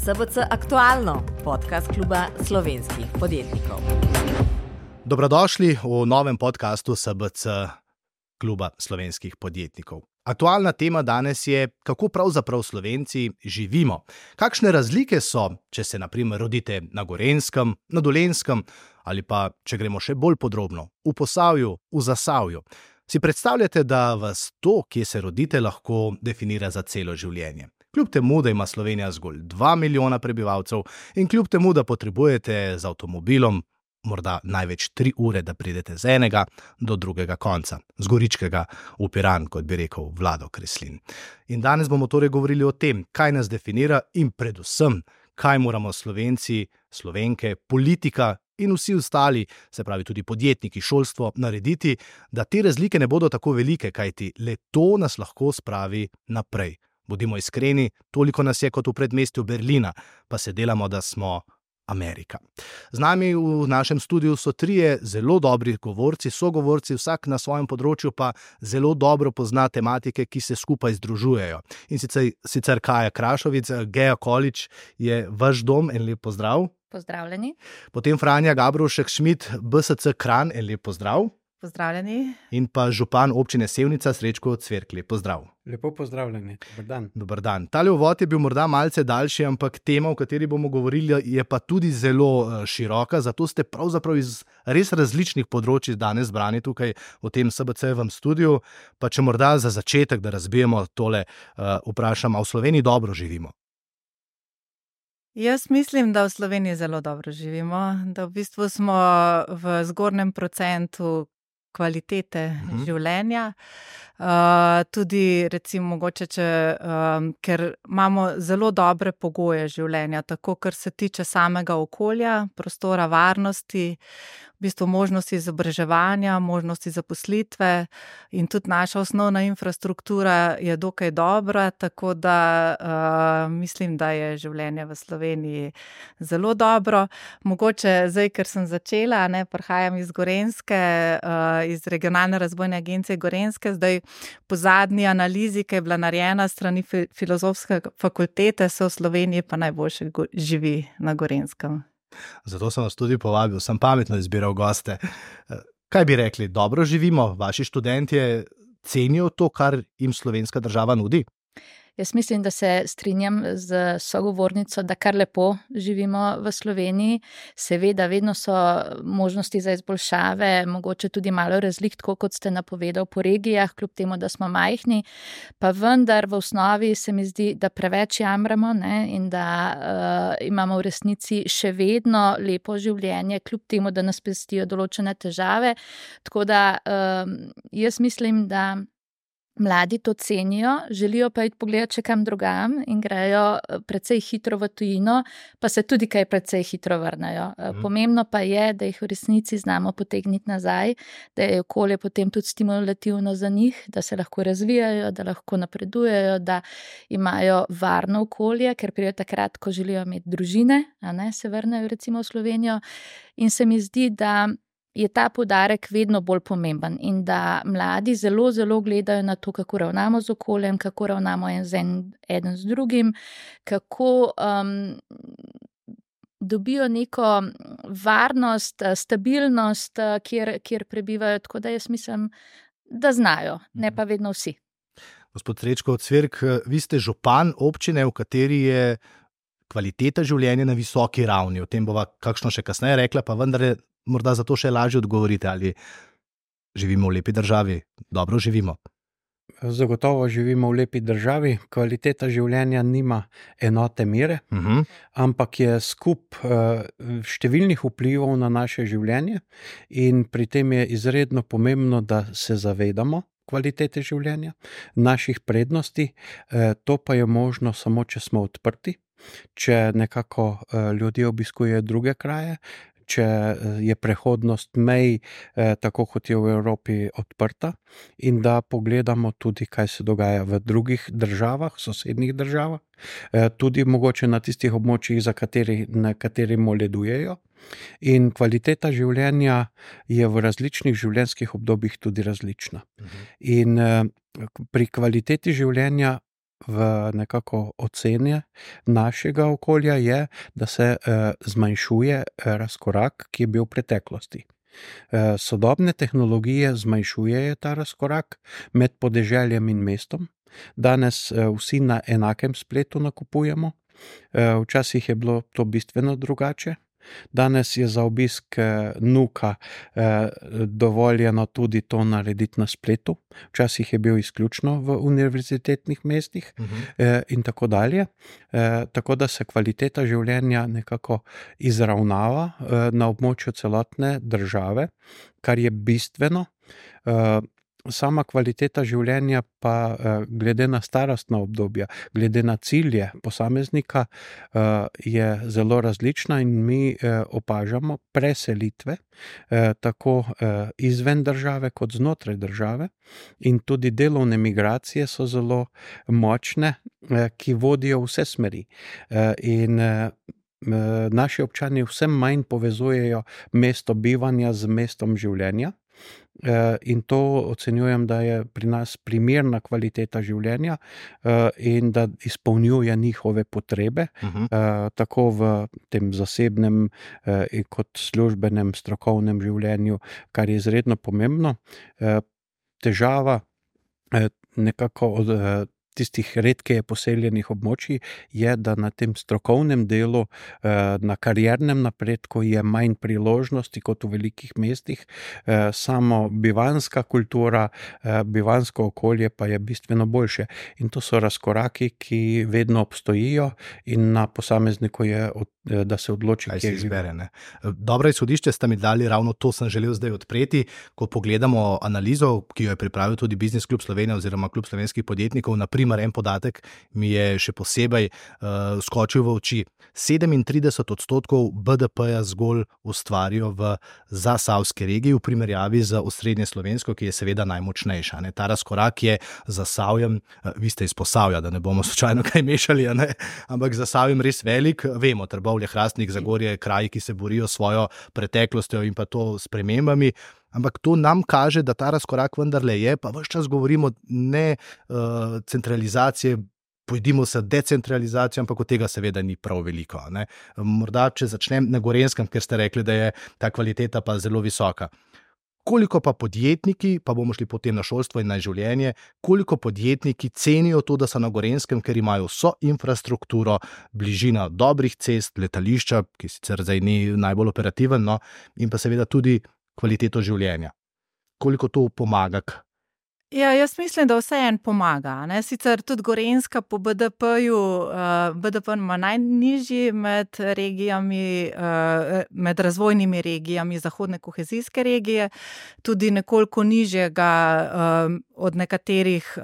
SBC Aktualno, podcast kluba slovenskih podjetnikov. Dobrodošli v novem podcastu SBC kluba slovenskih podjetnikov. Aktualna tema danes je, kako pravzaprav Slovenci živimo. Kakšne razlike so, če se na primer rodite na Gorenjskem, na Dolenjskem ali pa, če gremo še bolj podrobno, v Posavju, v Zasavju. Si predstavljate, da vas to, kje se rodite, lahko definira za celo življenje? Kljub temu, da ima Slovenija zgolj 2 milijona prebivalcev in kljub temu, da potrebujete z avtomobilom morda največ 3 ure, da pridete z enega do drugega konca, z Goričkega v Piran, kot bi rekel Vlado Kreslin. In danes bomo torej govorili o tem, kaj nas definira in predvsem, kaj moramo Slovenci, Slovenke, politika in vsi ostali, se pravi tudi podjetniki, šolstvo, narediti, da te razlike ne bodo tako velike, kajti le to nas lahko spravi naprej. Bodimo iskreni, toliko nas je kot v predmestju Berlina, pa se delamo, da smo Amerika. Z nami v našem studiu so 3 zelo dobri govorci, sogovorci, vsak na svojem področju pa zelo dobro pozna tematike, ki se skupaj združujejo. In sicer Kaja Krašovic, Gea Količ je vaš dom, en lep pozdrav. Pozdravljeni. Potem Franja Gabrovšek Šmid, BSC Kranj, en lep pozdrav. Pozdravljeni. In pa župan občine Sevnica, Srečko Cverkli, pozdrav. Lepo pozdravljeni, dober dan. Dober dan. Tale uvod je bil morda malce daljši, ampak tema, o kateri bomo govorili, je pa tudi zelo široka, zato ste pravzaprav iz res različnih področij danes zbrani tukaj v tem SBC-evem studiu. Pa če morda za začetek, da razbijemo tole, vprašam, a v Sloveniji dobro živimo? Jaz mislim, da v Sloveniji zelo dobro živimo, da v bistvu smo v zgornjem procentu kvalitete življenja. Tudi recimo mogoče, ker imamo zelo dobre pogoje življenja, tako kar se tiče samega okolja, prostora, varnosti, v bistvu možnosti izobraževanja, možnosti zaposlitve in tudi naša osnovna infrastruktura je dokaj dobra, tako da mislim, da je življenje v Sloveniji zelo dobro. Mogoče zdaj, ker sem začela, prihajam iz Gorenjske, iz Regionalne razvojne agencije Gorenjske, zdaj po zadnji analizi, ki je bila narejena strani Filozofske fakultete, se v Sloveniji pa najboljše živi na Gorenjskem. Zato sem vas tudi povabil, sem pametno izbiral goste. Kaj bi rekli, dobro živimo? Vaši študentje cenijo to, kar jim slovenska država nudi? Jaz mislim, da se strinjam z sogovornico, da kar lepo živimo v Sloveniji. Seveda, vedno so možnosti za izboljšave, mogoče tudi malo razlik, tako kot ste napovedal po regijah, kljub temu, da smo majhni, pa vendar v osnovi se mi zdi, da preveč jamramo, in da imamo v resnici še vedno lepo življenje, kljub temu, da nas pestijo določene težave. Tako da jaz mislim, da mladi to cenijo, želijo pa iti pogledati še kam drugam in grejo precej hitro v tujino, pa se tudi kaj precej hitro vrnejo. Pomembno pa je, da jih v resnici znamo potegniti nazaj, da je okolje potem tudi stimulativno za njih, da se lahko razvijajo, da lahko napredujejo, da imajo varno okolje, ker pridejo takrat, ko želijo imeti družine, se vrnejo recimo v Slovenijo. In se mi zdi, da je ta poudarek vedno bolj pomemben in da mladi zelo, zelo gledajo na to, kako ravnamo z okoljem, kako ravnamo eden z drugim, kako dobijo neko varnost, stabilnost, kjer prebivajo, tako da jaz mislim, da znajo, ne pa vedno vsi. Gospod Srečko Cverk, vi ste župan občine, v kateri je kvaliteta življenja na visoki ravni. O tem bova kakšno še kasneje rekla, pa vendar je morda zato še lažje odgovorite, ali živimo v lepi državi, dobro živimo. Zagotovo živimo v lepi državi, kvaliteta življenja nima enote mere, ampak je skup številnih vplivov na naše življenje in pri tem je izredno pomembno, da se zavedamo kvalitete življenja, naših prednosti, to pa je možno samo, če smo odprti, če nekako ljudje obiskujejo druge kraje, če je prehodnost mej, tako kot je v Evropi, odprta in da pogledamo tudi, kaj se dogaja v drugih državah, sosednjih državah, tudi mogoče na tistih območjih, na kateri moledujejo. In kvaliteta življenja je v različnih življenjskih obdobjih tudi različna. In pri kvaliteti življenja v nekako oceni našega okolja je, da se zmanjšuje razkorak, ki je bil v preteklosti. Sodobne tehnologije zmanjšujejo ta razkorak med podeželjem in mestom. Danes vsi na enakem spletu nakupujemo. Včasih je bilo to bistveno drugače. Danes je za obisk nuka dovoljeno tudi to narediti na spletu. Včasih je bil izključno v univerzitetnih mestih in tako dalje. Tako da se kvaliteta življenja nekako izravnava na območju celotne države, kar je bistveno. Sama kvaliteta življenja pa glede na starostna obdobja, glede na cilje posameznika je zelo različna in mi opažamo preselitve tako izven države kot znotraj države in tudi delovne migracije so zelo močne, ki vodijo vse smeri. In naši občani vse manj povezujejo mesto bivanja z mestom življenja. In to ocenjujem, da je pri nas primerna kvaliteta življenja in da izpolnjuje njihove potrebe, tako v tem zasebnem kot službenem, strokovnem življenju, kar je izredno pomembno. Težava nekako od tistih redkeje poseljenih območij je, da na tem strokovnem delu, na kariernem napredku je manj priložnosti kot v velikih mestih. Samo bivanska kultura, bivansko okolje pa je bistveno boljše. In to so razkoraki, ki vedno obstojijo in na posamezniku je, da se odloči, kje izbere. Dobro izhodišče ste mi dali, ravno to sem želel zdaj odpreti. Ko pogledamo analizo, ki jo je pripravil tudi Biznis klub Slovenije oziroma Klub slovenskih podjetnikov, en podatek mi je še posebej skočil v oči. 37% BDP-ja zgolj ustvarijo v zasavski regiji v primerjavi z osrednje slovensko, ki je seveda najmočnejša. Ta razkorak je z Zasavjem, vi ste iz Posavja, da ne bomo slučajno kaj mešali, ampak z Zasavjem res velik. Vemo, Trbovlje, Hrastnik, Zagorje, kraji, ki se borijo s svojo preteklostjo in pa to spremembami. Ampak to nam kaže, da ta razkorak vendarle je, pa ves čas govorimo ne centralizacije, pojdimo se decentralizacijo, ampak od tega seveda ni prav veliko. Morda, če začnem na Gorenjskem, ker ste rekli, da je ta kvaliteta pa zelo visoka. Koliko pa podjetniki, pa bomo šli potem na šolstvo in na življenje, koliko podjetniki cenijo to, da so na Gorenjskem, ker imajo vso infrastrukturo, bližina dobrih cest, letališča, ki sicer zdaj ni najbolj operativen, in pa seveda tudi kvaliteto življenja. Koliko to pomaga? Ja, jaz mislim, da vseeno pomaga. Sicer tudi Gorenjska po BDP-ju, BDP ima najnižji med regijami, med razvojnimi regijami zahodne kohezijske regije, tudi nekoliko nižjega od nekaterih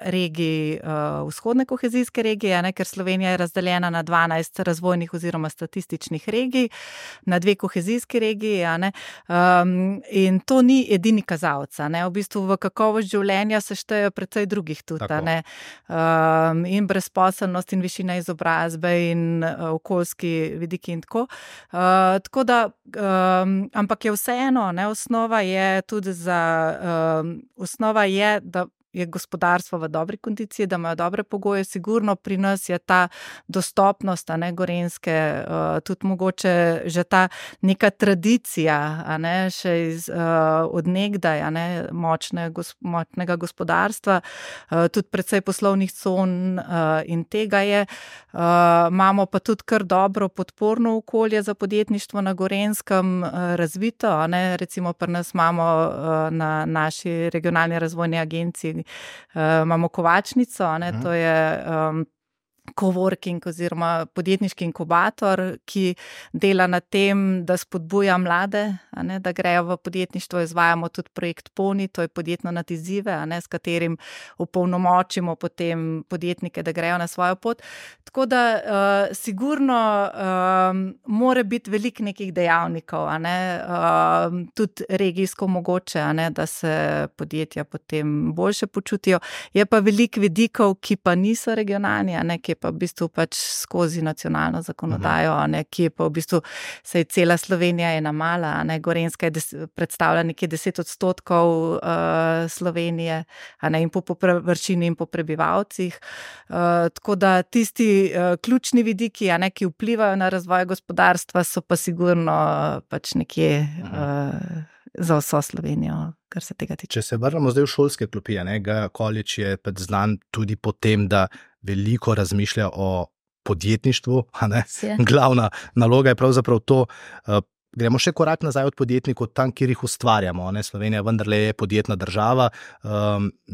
regij vzhodne kohezijske regije, ker Slovenija je razdeljena na 12 razvojnih oziroma statističnih regij, na 2 kohezijski regiji, in to ni edini kazalec. V bistvu v kakovost življenja se štejejo precej drugih tudi, in brezposelnost in višina izobrazbe in okoljski vidiki in tako. Tako da, ampak je vseeno, osnova je tudi osnova je, da je gospodarstvo v dobri kondiciji, da imajo dobre pogoje. Sigurno pri nas je ta dostopnost, Gorenjske, tudi mogoče že ta neka tradicija, še od nekdaj, močnega gospodarstva, tudi precej poslovnih con in tega je. Imamo pa tudi kar dobro podporno okolje za podjetništvo na Gorenjskem razvito, recimo pri nas imamo na naši regionalni razvojni agenciji imamo Kovačnico, to je coworking oziroma podjetniški inkubator, ki dela na tem, da spodbuja mlade, da grejo v podjetništvo. Izvajamo tudi projekt Poni, to je podjetno nad izzive, s katerim opolnomočimo potem podjetnike, da grejo na svojo pot. Tako da sigurno mora biti veliko nekih dejavnikov, tudi regijsko mogoče, da se podjetja potem boljše počutijo. Je pa veliko vidikov, ki pa niso regionalni, ki kje pa v bistvu pač skozi nacionalno zakonodajo, kje pa v bistvu se je cela Slovenija ena mala, Gorenjska predstavlja nekje 10% Slovenije, in po površini in po prebivalcih. Tako da tisti ključni vidiki, ki vplivajo na razvoj gospodarstva, so pa sigurno pač nekje za vso Slovenijo, kar se tega tiče. Če se vrnemo zdaj v šolske klopi, Gaja Količ je znan tudi po tem, da veliko razmišlja o podjetništvu, Glavna naloga je pravzaprav to. Gremo še korak nazaj od podjetnikov, tam, kjer jih ustvarjamo. Slovenija vendarle je podjetna država,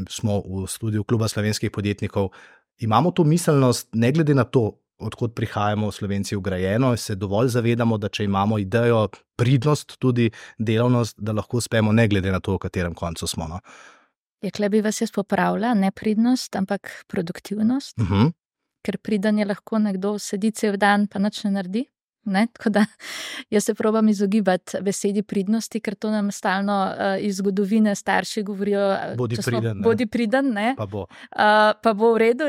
smo v studiu Kluba slovenskih podjetnikov. Imamo to miselnost, ne glede na to, odkot prihajamo Slovenci vgrajeno, se dovolj zavedamo, da če imamo idejo, pridnost, tudi delavnost, da lahko uspemo, ne glede na to, v katerem koncu smo. Kle bi vas jaz popravila, ne pridnost, ampak produktivnost, ker priden je lahko nekdo sedi cel dan pa nič ne naredi. Tako da jaz se probam izogibati besedi pridnosti, ker to nam stalno iz zgodovine starši govorijo, bodi priden, pa bo v redu,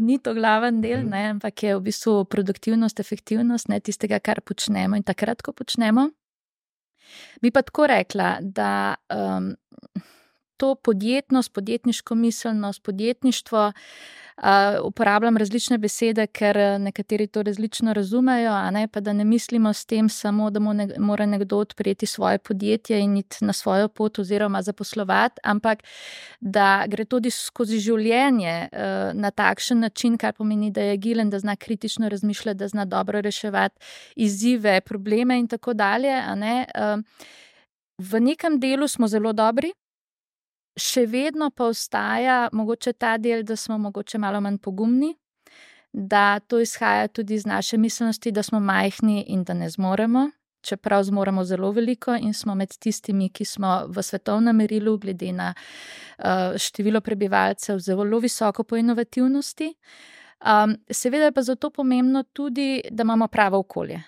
ni to glaven del, ampak je v bistvu produktivnost, efektivnost, tistega, kar počnemo in takrat, ko počnemo. Bi pa tako rekla, da to podjetnost, podjetniško miselnost, podjetništvo, uporabljam različne besede, ker nekateri to različno razumejo, pa da ne mislimo s tem samo, da mora nekdo odpreti svoje podjetje in iti na svojo pot oziroma zaposlovati, ampak da gre tudi skozi življenje na takšen način, kar pomeni, da je agilen, da zna kritično razmišljati, da zna dobro reševati izzive, probleme in tako dalje. V nekem delu smo zelo dobri, še vedno pa ostaja mogoče ta del, da smo mogoče malo manj pogumni, da to izhaja tudi iz naše miselnosti, da smo majhni in da ne zmoremo, čeprav zmoremo zelo veliko in smo med tistimi, ki smo v svetovnem merilu glede na število prebivalcev zelo visoko po inovativnosti. Seveda je pa zato pomembno tudi, da imamo pravo okolje.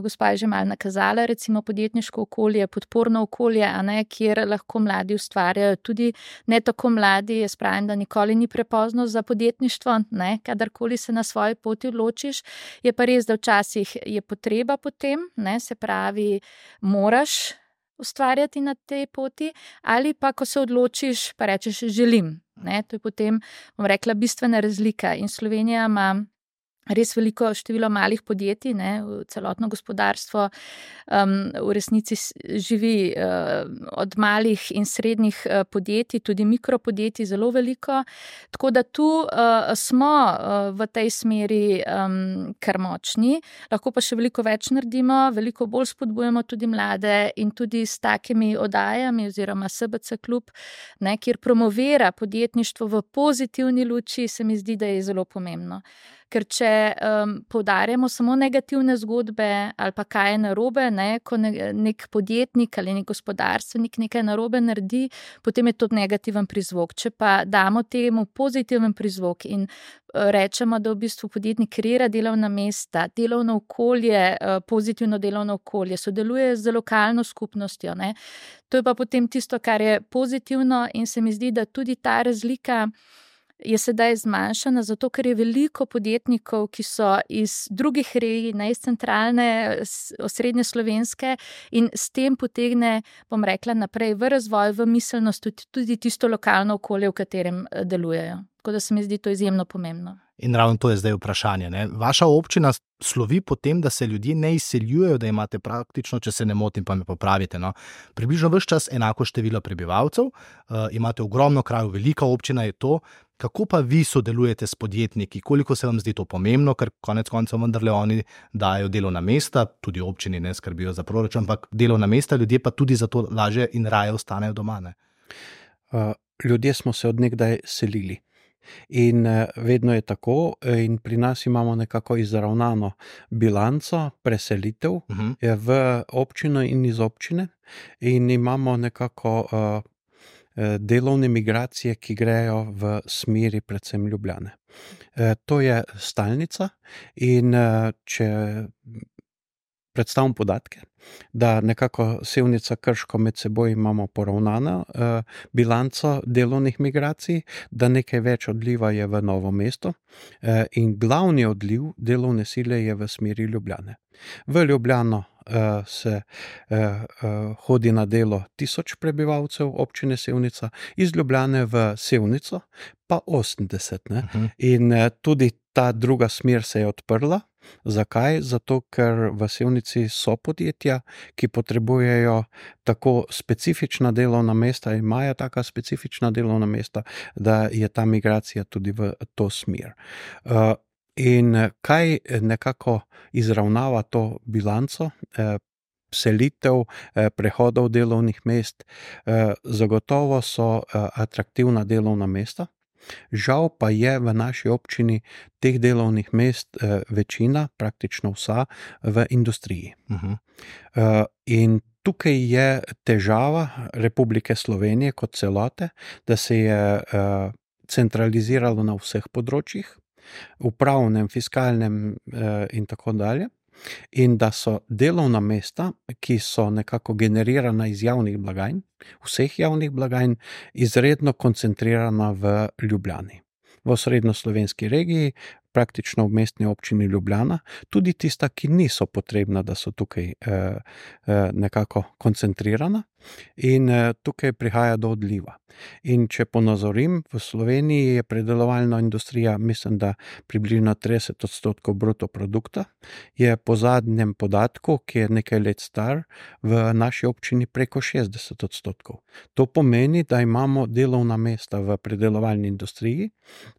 Gospa je že malo nakazala, recimo podjetniško okolje, podporno okolje, kjer lahko mladi ustvarjajo, tudi ne tako mladi, jaz pravim, da nikoli ni prepozno za podjetništvo, kadarkoli se na svoji poti odločiš, je pa res, da včasih je potreba po tem, se pravi, moraš ustvarjati na tej poti, ali pa ko se odločiš, pa rečeš želim. To je potem, bom rekla, bistvena razlika in Slovenija ima res veliko število malih podjetij, celotno gospodarstvo v resnici živi od malih in srednjih podjetij, tudi mikropodjetij zelo veliko, tako da tu smo v tej smeri kar močni, lahko pa še veliko več naredimo, veliko bolj spodbujamo tudi mlade in tudi s takimi oddajami oziroma SBC klub, kjer promovira podjetništvo v pozitivni luči, se mi zdi, da je zelo pomembno. Ker če poudarjamo samo negativne zgodbe ali pa kaj je narobe, ko nek podjetnik ali nek gospodarstvenik nekaj narobe naredi, potem je to negativen prizvok. Če pa damo temu pozitiven prizvok in rečemo, da v bistvu podjetnik kreira delovna mesta, delovno okolje, pozitivno delovno okolje, sodeluje z lokalno skupnostjo, to je pa potem tisto, kar je pozitivno in se mi zdi, da tudi ta razlika je sedaj zmanjšana, zato ker je veliko podjetnikov, ki so iz drugih regij, iz centralne, osrednje slovenske in s tem potegne, bom rekla, naprej v razvoj, v miselnost tudi tisto lokalno okolje, v katerem delujejo. Tako da se mi zdi to izjemno pomembno. In ravno to je zdaj vprašanje. Vaša občina slovi po tem, da se ljudje ne izseljujejo, da imate praktično, če se ne motim, pa me popravite, približno ves čas enako število prebivalcev, imate ogromno krajev, velika občina je to. Kako pa vi sodelujete s podjetniki? Koliko se vam zdi to pomembno, ker konec koncev vendarle oni dajo delovna mesta, tudi občini ne skrbijo za proračun, ampak delovna mesta, ljudje pa tudi zato lažje in raje ostanejo doma. Ljudje smo se od nekdaj selili. In vedno je tako in pri nas imamo nekako izravnano bilanco preselitev v občino in iz občine in imamo nekako delovne migracije, ki grejo v smeri predvsem Ljubljane. To je stalnica in če predstavim podatke, da nekako Sevnica Krško med seboj imamo poravnano bilanco delovnih migracij, da nekaj več odliva je v Novo mesto in glavni odliv delovne sile je v smeri Ljubljane. V Ljubljano se hodi na delo 1000 prebivalcev občine Sevnica, iz Ljubljane v Sevnico pa 80. Ne? In tudi ta druga smer se je odprla. Zakaj? Zato, ker v Sevnici so podjetja, ki potrebujejo tako specifična delovna mesta, imajo taka specifična delovna mesta, da je ta migracija tudi v to smer. In kaj nekako izravnava to bilanco, selitev, prehodov delovnih mest, zagotovo so atraktivna delovna mesta. Žal pa je v naši občini teh delovnih mest večina, praktično vsa, v industriji. In tukaj je težava Republike Slovenije kot celote, da se je centraliziralo na vseh področjih, upravnem, fiskalnem in tako dalje. In da so delovna mesta, ki so nekako generirana iz javnih blagajn, vseh javnih blagajn, izredno koncentrirana v Ljubljani. V osrednjoslovenski regiji, praktično v mestni občini Ljubljana, tudi tista, ki niso potrebna, da so tukaj nekako koncentrirana in tukaj prihaja do odliva. In če ponazorim, v Sloveniji je predelovalna industrija, mislim, da približno 30% bruto produkta, je po zadnjem podatku, ki je nekaj let star, v naši občini preko 60%. To pomeni, da imamo delovna mesta v predelovalni industriji,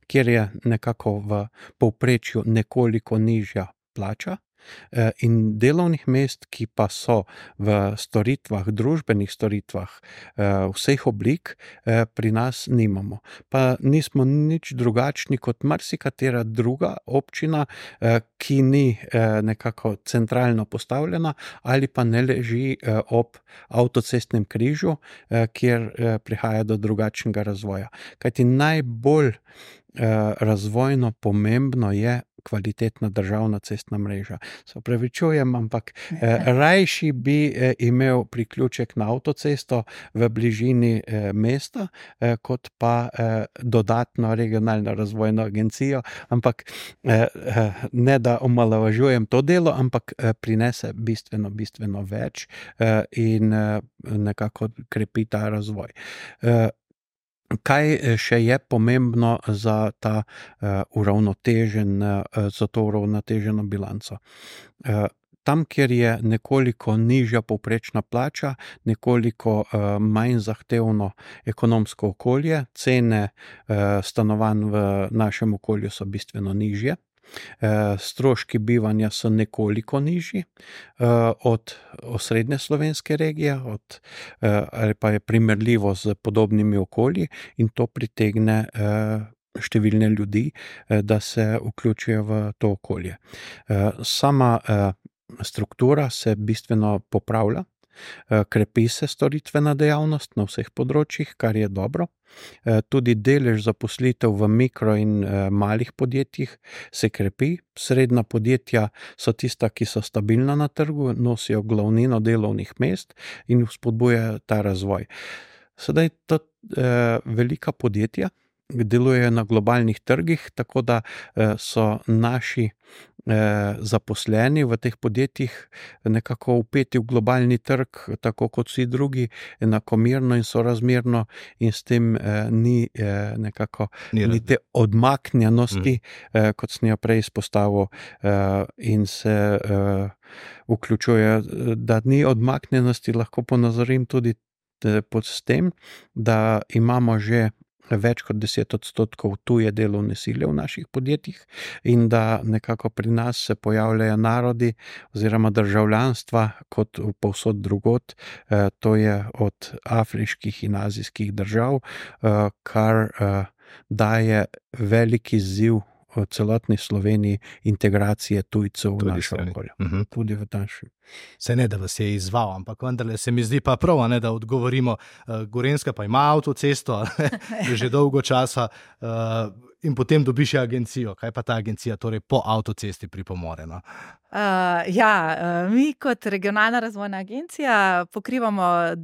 kjer je nekako v povprečju nekoliko nižja plača, in delovnih mest, ki pa so v storitvah, družbenih storitvah vseh oblik, pri nas nimamo. Pa nismo nič drugačni kot marsikatera druga občina, ki ni nekako centralno postavljena ali pa ne leži ob avtocestnem križu, kjer prihaja do drugačnega razvoja. Kajti najbolj razvojno pomembno je kvalitetna državna cestna mreža. Se opravičujem, ampak rajši bi imel priključek na avtocesto v bližini mesta, kot pa dodatno regionalno razvojno agencijo, ampak ne da omalovažujem to delo, ampak prinese bistveno več in nekako krepi ta razvoj. Kaj še je pomembno za ta za to uravnoteženo bilanco? Tam, kjer je nekoliko nižja povprečna plača, nekoliko manj zahtevno ekonomsko okolje, cene stanovanj v našem okolju so bistveno nižje. Stroški bivanja so nekoliko nižji od osrednje slovenske regije, ali pa je primerljivo z podobnimi okolji in to pritegne številne ljudi, da se vključijo v to okolje. Sama struktura se bistveno popravlja, krepi se storitvena dejavnost na vseh področjih, kar je dobro. Tudi delež zaposlitev v mikro in malih podjetjih se krepi. Srednja podjetja so tista, ki so stabilna na trgu, nosijo glavnino delovnih mest in vzpodbujajo ta razvoj. Sedaj to velika podjetja delujejo na globalnih trgih, tako da so naši zaposleni v teh podjetjih nekako vpeti v globalni trg, tako kot vsi drugi, enakomerno in sorazmerno, in s tem ni nekako ni te odmaknjenosti, kot sem jo prej izpostavil, in se vključuje, da ni odmaknjenosti, lahko ponazorim tudi s tem, da imamo že več kot 10% tuje delovne sile v naših podjetjih in da nekako pri nas se pojavljajo narodi oziroma državljanstva kot povsod drugod, to je od afriških in azijskih držav, kar daje velik izziv v celotni Sloveniji integracije tujcev v našo okolje. Tudi v naši. Se ne, da vas je izzval, ampak vendarle se mi zdi pa prav, ne, da odgovorimo. Gorenjska pa ima avtocesto že dolgo časa in potem dobiš agencijo. Kaj pa ta agencija torej po avtocesti pripomore? No? Mi kot regionalna razvojna agencija pokrivamo,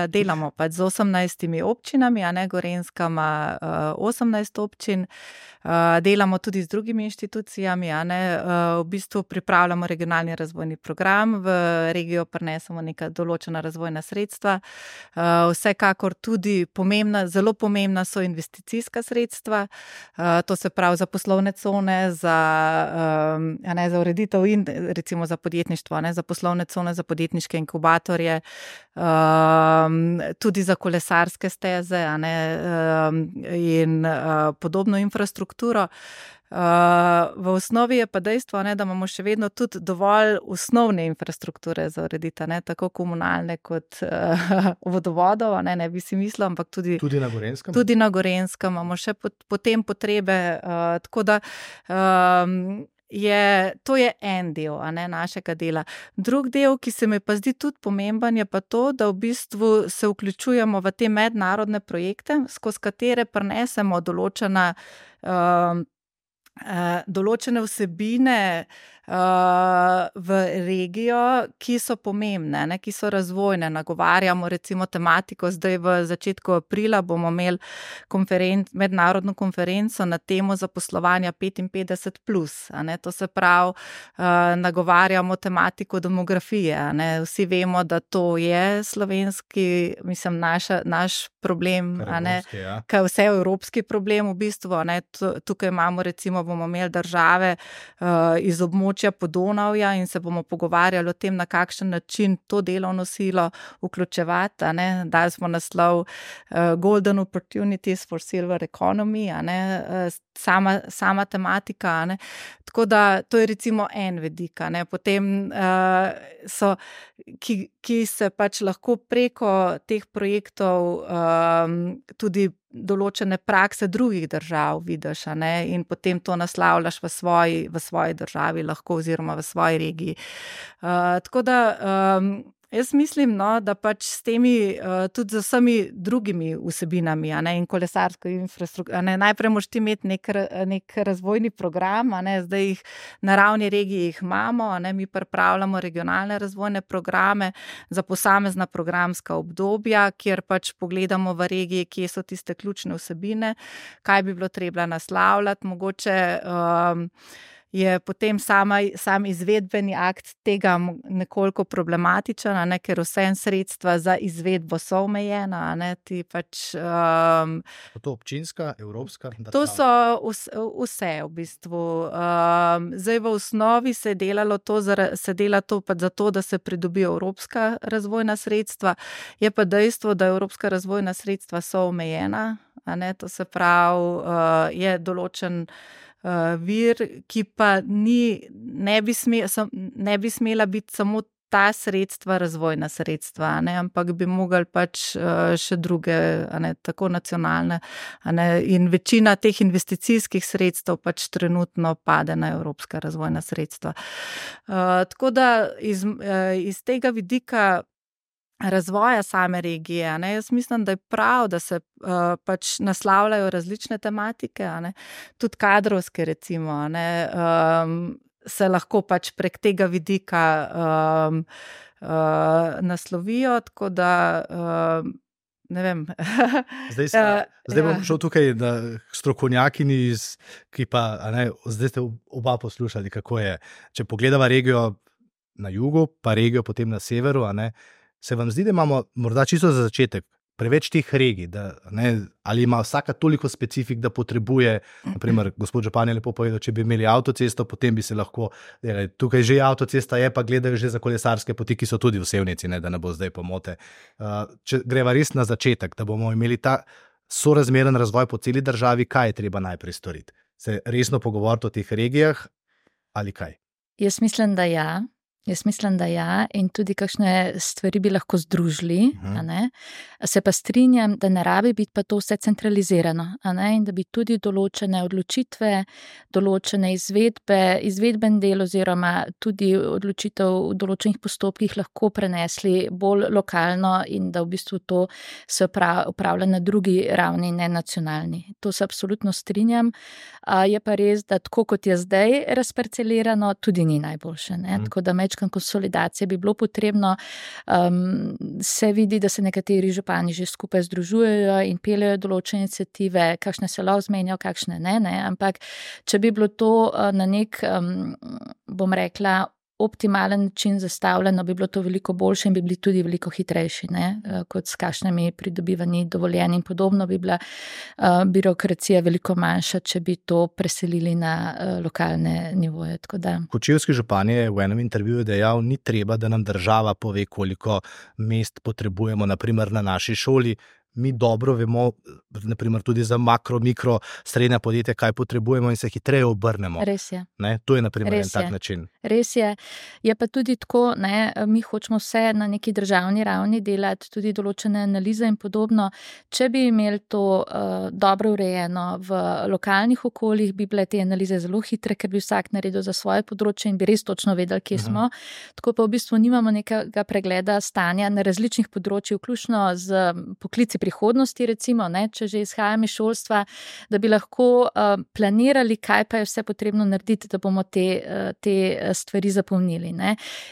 delamo pač z 18 občinami, a ne, Gorenjska ima 18 občin, delamo tudi z drugimi inštitucijami, a ne, v bistvu pripravljamo regionalni razvojni program, v regijo prinesemo neka določena razvojna sredstva, vsekakor tudi zelo pomembna so investicijska sredstva, to se pravi za poslovne cone, za ureditev in recimo za podjetništvo, za poslovne cone, za podjetniške inkubatorje, tudi za kolesarske steze, in podobno infrastrukturo. V osnovi je pa dejstvo, da imamo še vedno tudi dovolj osnovne infrastrukture za urediti, tako komunalne kot vodovodov, ne bi si mislil, ampak tudi na Gorenskem. Tudi na Gorenskem imamo še potem potrebe, tako da to je en del, našega dela. Drug del, ki se mi pa zdi tudi pomemben, je pa to, da v bistvu se vključujemo v te mednarodne projekte, skozi katere prinesemo določene vsebine v regijo, ki so pomembne, ki so razvojne. Nagovarjamo recimo tematiko, zdaj v začetku aprila bomo imeli mednarodno konferenco na temo zaposlovanja 55+. To se pravi, nagovarjamo tematiko demografije. Vsi vemo, da to je slovenski, mislim, naš problem, kaj vse evropski problem v bistvu. Tukaj imamo recimo, bomo imeli države iz območja Podonavja in se bomo pogovarjali o tem, na kakšen način to delovno silo vključevati. Dali smo naslov Golden Opportunities for Silver Economy, sama tematika. Tako da to je recimo en vidik. Potem ki se pač lahko preko teh projektov tudi določene prakse drugih držav vidiš, in potem to naslavljaš v svoji državi lahko oziroma v svoji regiji. Tako da jaz mislim, da pač s temi, tudi z vsemi drugimi vsebinami, in kolesarsko infrastrukturo, najprej moraš ti imeti nek razvojni program, zdaj jih na ravni regiji jih imamo, mi pripravljamo regionalne razvojne programe za posamezna programska obdobja, kjer pač pogledamo v regiji, kje so tiste ključne vsebine, kaj bi bilo treba naslavljati, mogoče je potem sam izvedbeni akt tega nekoliko problematičen, ker vse sredstva za izvedbo so omejena, ti pač... To občinska, evropska? To so vse v bistvu. Zdaj v osnovi se dela to pač zato, da se pridobijo evropska razvojna sredstva, je pa dejstvo, da evropska razvojna sredstva so omejena, to se pravi, je določen vir, ki pa ne bi smela biti samo ta sredstva, razvojna sredstva, ampak bi mogli pač še druge, tako nacionalne, in večina teh investicijskih sredstev pač trenutno pade na evropska razvojna sredstva. Tako da iz tega vidika razvoja same regije, jaz mislim, da je prav, da se pač naslavljajo različne tematike, tudi kadrovske recimo, se lahko pač prek tega vidika naslovijo, tako da ne vem. Zdaj bom šel tukaj na strokovnjakini, ki pa, zdaj ste oba poslušali, kako je. Če pogledava regijo na jugu, pa regijo potem na severu, se vam zdi, da imamo morda čisto za začetek preveč teh regij, ali ima vsaka toliko specifik, da potrebuje, naprimer, gospod Župan je lepo povedal, če bi imeli avtocesto, potem bi se lahko, tukaj že avtocesta je, pa gledajo že za kolesarske poti, ki so tudi v Sevnici, da ne bo zdaj pomote. Če greva res na začetek, da bomo imeli ta sorazmeren razvoj po celi državi, kaj je treba najprej storiti? Se resno pogovoriti o teh regijah ali kaj? Jaz mislim, da ja. Jaz mislim, da ja, in tudi kakšne stvari bi lahko združili, a ne? Se pa strinjam, da ne rabi biti pa to vse centralizirano, a ne? In da bi tudi določene odločitve, določene izvedben del oziroma tudi odločitev v določenih postopkih lahko prenesli bolj lokalno in da v bistvu to se upravlja na drugi ravni, ne nacionalni. To se absolutno strinjam. Je pa res, da tako kot je zdaj razparcelirano, tudi ni najboljše, ne? Tako da konsolidacije bi bilo potrebno. Se vidi, da se nekateri župani že skupaj združujejo in peljejo določene iniciative, kakšne se lahko zmenijo, kakšne ne, ampak če bi bilo to na nek, bom rekla, optimalen način zastavljeno, bi bilo to veliko boljše in bi bili tudi veliko hitrejši, ne? Kot s kakšnimi pridobivanji dovoljenj in podobno bi bila birokracija veliko manjša, če bi to preselili na lokalne nivoje. Kočevski župan je v enem intervjuju dejal, ni treba, da nam država pove, koliko mest potrebujemo, naprimer na naši šoli. Mi dobro vemo, naprimer tudi za makro, mikro, srednja podjetja, kaj potrebujemo in se hitreje obrnemo. Res je. Ne? To je naprimer en tak način. Res je. Je pa tudi tako, ne, mi hočemo vse na neki državni ravni delati, tudi določene analize in podobno. Če bi imeli to dobro urejeno v lokalnih okoljih, bi bile te analize zelo hitre, ker bi vsak naredil za svoje področje in bi res točno vedeli, kje smo. Tako pa v bistvu nimamo nekega pregleda stanja na različnih področjih, vključno z poklici prihodnosti, recimo, ne, če že izhajam iz šolstva, da bi lahko planirali, kaj pa je vse potrebno narediti, da bomo te stvari zapolnili. Ne.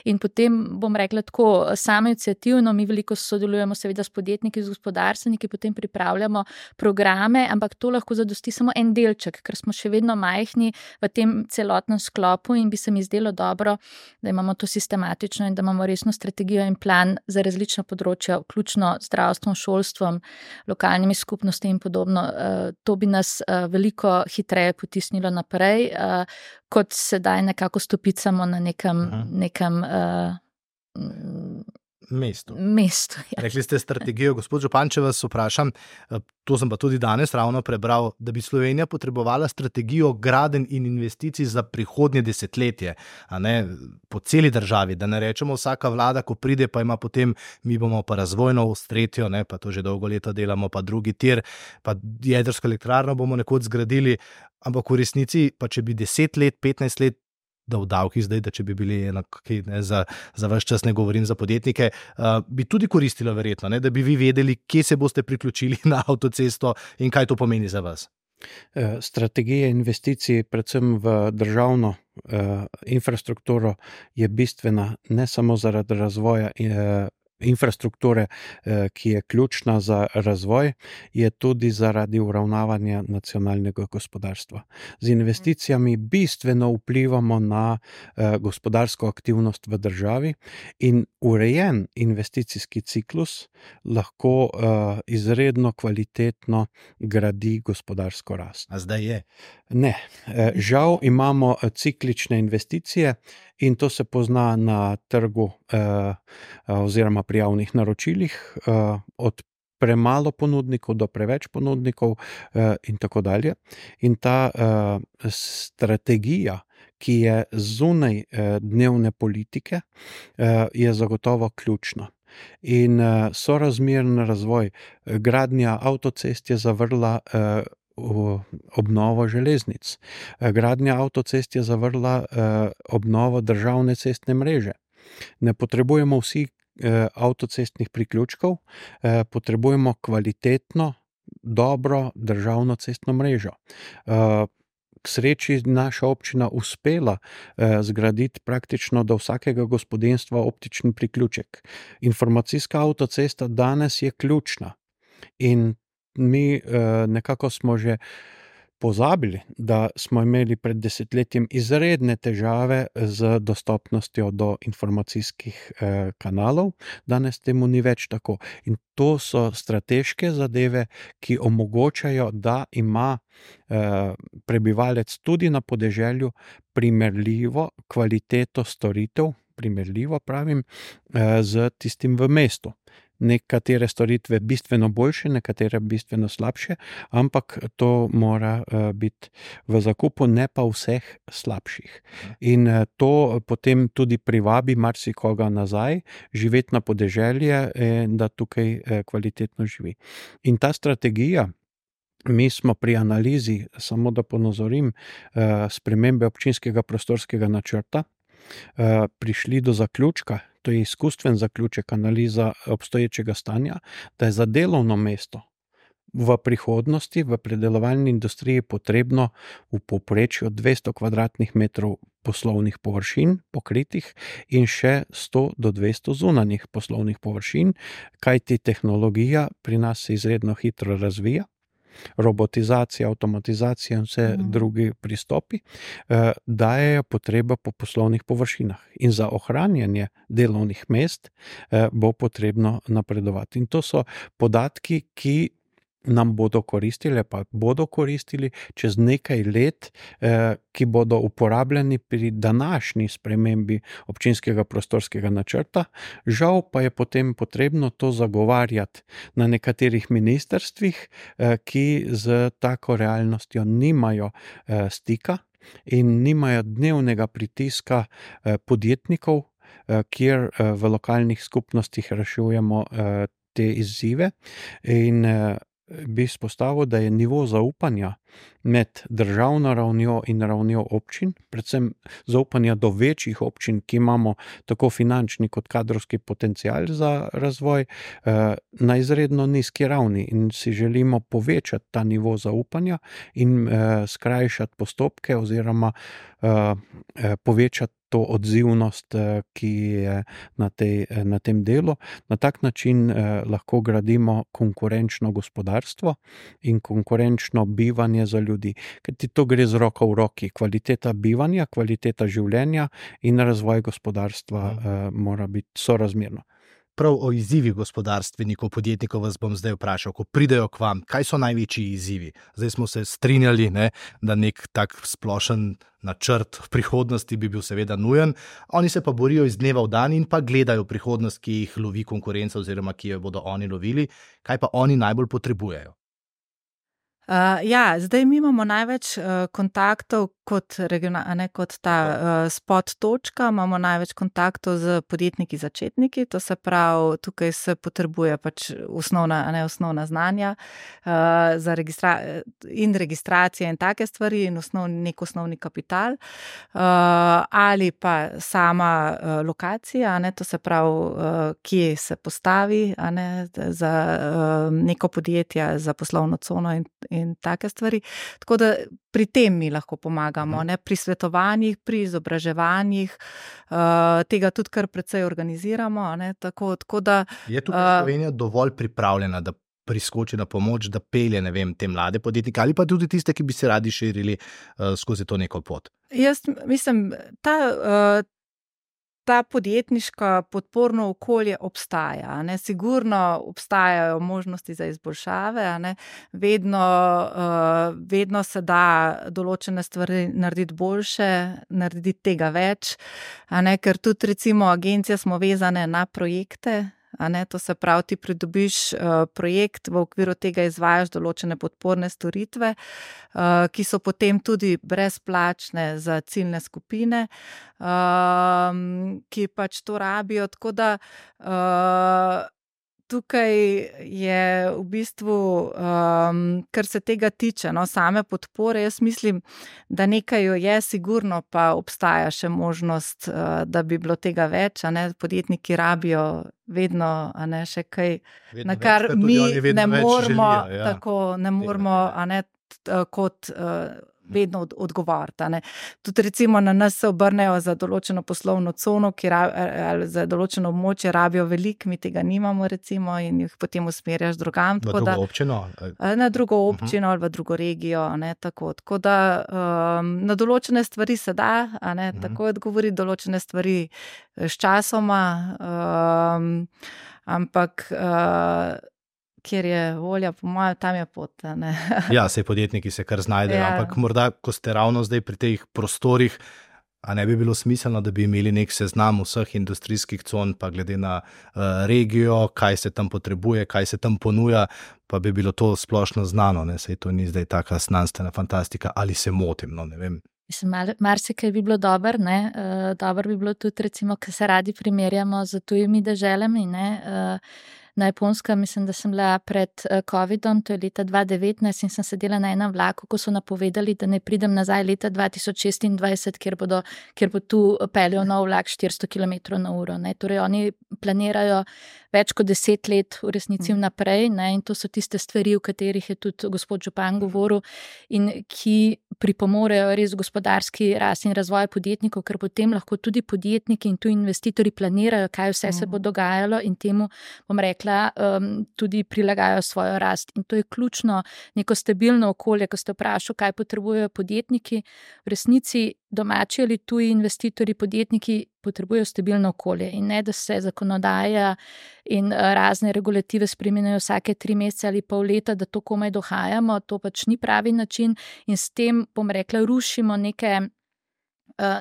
In potem bom rekla tako, samo iniciativno, mi veliko sodelujemo seveda s podjetniki, z gospodarstveniki, potem pripravljamo programe, ampak to lahko zadosti samo en delček, ker smo še vedno majhni v tem celotnem sklopu in bi se mi zdelo dobro, da imamo to sistematično in da imamo resno strategijo in plan za različna področja, vključno zdravstvom, šolstvom, lokalnimi skupnostmi in podobno. To bi nas veliko hitreje potisnilo naprej, kot sedaj nekako stopicamo na nekem mestu. Ja. Rekli ste strategijo, gospod župan, če vas vprašam, to sem pa tudi danes ravno prebral, da bi Slovenija potrebovala strategijo gradenj in investicij za prihodnje desetletje, a ne po celi državi, da ne rečemo vsaka vlada, ko pride, pa ima potem, mi bomo pa razvojno s tretjo, ne, pa to že dolgo leta delamo, pa drugi tir, pa jedrsko elektrarno bomo nekoč zgradili, ampak v resnici, pa če bi 10 let, 15 let, da v davkih zdaj, da če bi bili enaki, za vaš čas ne govorim za podjetnike, bi tudi koristilo verjetno, ne, da bi vi vedeli, kje se boste priključili na avtocesto in kaj to pomeni za vas. Strategija investicij, predvsem v državno infrastrukturo, je bistvena ne samo zaradi razvoja infrastrukture, ki je ključna za razvoj, je tudi zaradi uravnavanja nacionalnega gospodarstva. Z investicijami bistveno vplivamo na gospodarsko aktivnost v državi in urejen investicijski ciklus lahko izredno kvalitetno gradi gospodarsko rast. A zdaj je? Ne. Žal imamo ciklične investicije in to se pozna na trgu oziroma pri javnih naročilih, od premalo ponudnikov do preveč ponudnikov in tako dalje. In ta strategija, ki je zunaj dnevne politike, je zagotovo ključna. In sorazmeren razvoj, gradnja avtocest je zavrla obnovo železnic. Gradnja avtocest je zavrla obnovo državne cestne mreže. Ne potrebujemo vsi avtocestnih priključkov, potrebujemo kvalitetno, dobro državno cestno mrežo. K sreči naša občina uspela zgraditi praktično do vsakega gospodinjstva optični priključek. Informacijska avtocesta danes je ključna in mi nekako smo že pozabili, da smo imeli pred desetletjem izredne težave z dostopnostjo do informacijskih kanalov, danes temu ni več tako. In to so strateške zadeve, ki omogočajo, da ima prebivalec tudi na podeželju primerljivo kvaliteto storitev, primerljivo pravim, z tistim v mestu. nekatere storitve bistveno boljše, nekatere bistveno slabše, ampak to mora biti v zakupu, ne pa vseh slabših. In to potem tudi privabi marsikoga nazaj, živeti na podeželje, da tukaj kvalitetno živi. In ta strategija, mi smo pri analizi, samo da ponazorim, spremembe občinskega prostorskega načrta, prišli do zaključka, to je izkustven zaključek, analiza obstoječega stanja, da je za delovno mesto v prihodnosti v predelovalni industriji potrebno v povprečju 200 kvadratnih metrov poslovnih površin pokritih in še 100 do 200 zunanjih poslovnih površin, kajti tehnologija pri nas se izredno hitro razvija, robotizacija, avtomatizacija in vse drugi pristopi dajejo potrebo po poslovnih površinah. In za ohranjanje delovnih mest bo potrebno napredovati. In to so podatki, ki nam bodo koristili, pa bodo koristili čez nekaj let, ki bodo uporabljeni pri današnji spremembi občinskega prostorskega načrta. Žal pa je potem potrebno to zagovarjati na nekaterih ministrstvih, ki z tako realnostjo nimajo stika in nimajo dnevnega pritiska podjetnikov, kjer v lokalnih skupnostih rešujemo te izzive. In bi izpostavil, da je nivo zaupanja med državno ravnjo in ravnjo občin, predvsem zaupanja do večjih občin, ki imamo tako finančni kot kadrovski potencial za razvoj, na izredno nizki ravni in si želimo povečati ta nivo zaupanja in skrajšati postopke oziroma povečati to odzivnost, ki je na tem delu. Na tak način lahko gradimo konkurenčno gospodarstvo in konkurenčno bivanje za ljudi. Ker ti to gre z roko v roki. Kvaliteta bivanja, kvaliteta življenja in razvoj gospodarstva mora biti sorazmerno. Prav o izzivih gospodarstvenikov, podjetnikov vas bom zdaj vprašal, ko pridejo k vam, kaj so največji izzivi? Zdaj smo se strinjali, da nek tak splošen načrt v prihodnosti bi bil seveda nujen, oni se pa borijo iz dneva v dan in pa gledajo prihodnost, ki jih lovi konkurenca oziroma ki jo bodo oni lovili. Kaj pa oni najbolj potrebujejo? Zdaj mi imamo največ kontaktov kot ta spot točka, imamo največ kontaktov z podjetniki začetniki, to se pravi, tukaj se potrebuje pač osnovna znanja za registracije in take stvari in nek osnovni kapital, ali pa sama lokacija, to se pravi, kje se postavi za neko podjetje, za poslovno cono in take stvari. Tako da pri tem mi lahko pomagamo, pri svetovanjih, pri izobraževanjih, tega tudi kar precej organiziramo. Tako da, je tukaj Slovenija dovolj pripravljena, da priskoči na pomoč, da pelje, te mlade podjetnike ali pa tudi tiste, ki bi se radi širili skozi to neko pot? Jaz mislim, ta podjetniška podporno okolje obstaja. Sigurno obstajajo možnosti za izboljšave, vedno se da določene stvari narediti boljše, narediti tega več, ker tudi recimo agencija smo vezane na projekte. To se pravi, ti pridobiš projekt, v okviru tega izvajaš določene podporne storitve, ki so potem tudi brezplačne za ciljne skupine, ki pač to rabijo. Tako da tukaj je v bistvu, kar se tega tiče, same podpore, jaz mislim, da nekaj jo je, sigurno pa obstaja še možnost, da bi bilo tega več, podjetniki rabijo vedno, še kaj, na kar mi ne moramo, ne moramo, kot vedno odgovarjati. Tudi recimo na nas se obrnejo za določeno poslovno cono, ali za določeno območje rabijo veliko, mi tega nimamo recimo in jih potem usmerjaš drugam. V drugo občino? Na drugo občino ali v drugo regijo. Tako da na določene stvari se da, tako odgovoriti, določene stvari s časoma, ampak kjer je volja, po mojem, tam je pot. Ja, saj podjetniki se kar znajdejo, ampak morda, ko ste ravno zdaj pri teh prostorih, A ne bi bilo smiselno, da bi imeli nek seznam vseh industrijskih con, pa glede na regijo, kaj se tam potrebuje, kaj se tam ponuja, pa bi bilo to splošno znano, ne? Sej to ni zdaj taka znanstvena fantastika, ali se motim, no, ne vem. Mislim, marsikaj bi bilo dobro, ne? Dobro bi bilo tudi, recimo, ker se radi primerjamo z tujimi deželami, ne? Na Japonskem, mislim, da sem bila pred COVID-om, to je leta 2019 in sem sedela na enem vlaku, ko so napovedali, da ne pridem nazaj leta 2026, kjer bo tu peljal nov vlak 400 km/h. Ne? Torej, oni planirajo več kot 10 let v resnici vnaprej, ne? In to so tiste stvari, o katerih je tudi gospod župan govoril in ki pripomorejo res gospodarski rast in razvoj podjetnikov, ker potem lahko tudi podjetniki in tu investitorji planirajo, kaj vse se bo dogajalo in temu, bom rekla, tudi prilagajajo svojo rast. In to je ključno, neko stabilno okolje, ko ste vprašali, kaj potrebujejo podjetniki. V resnici domači ali tuji investitorji, podjetniki potrebujejo stabilno okolje in ne, da se zakonodaja in razne regulative spreminjajo vsake 3 mesece ali pol leta, da to komaj dohajamo, to pač ni pravi način in s tem, bom rekla, rušimo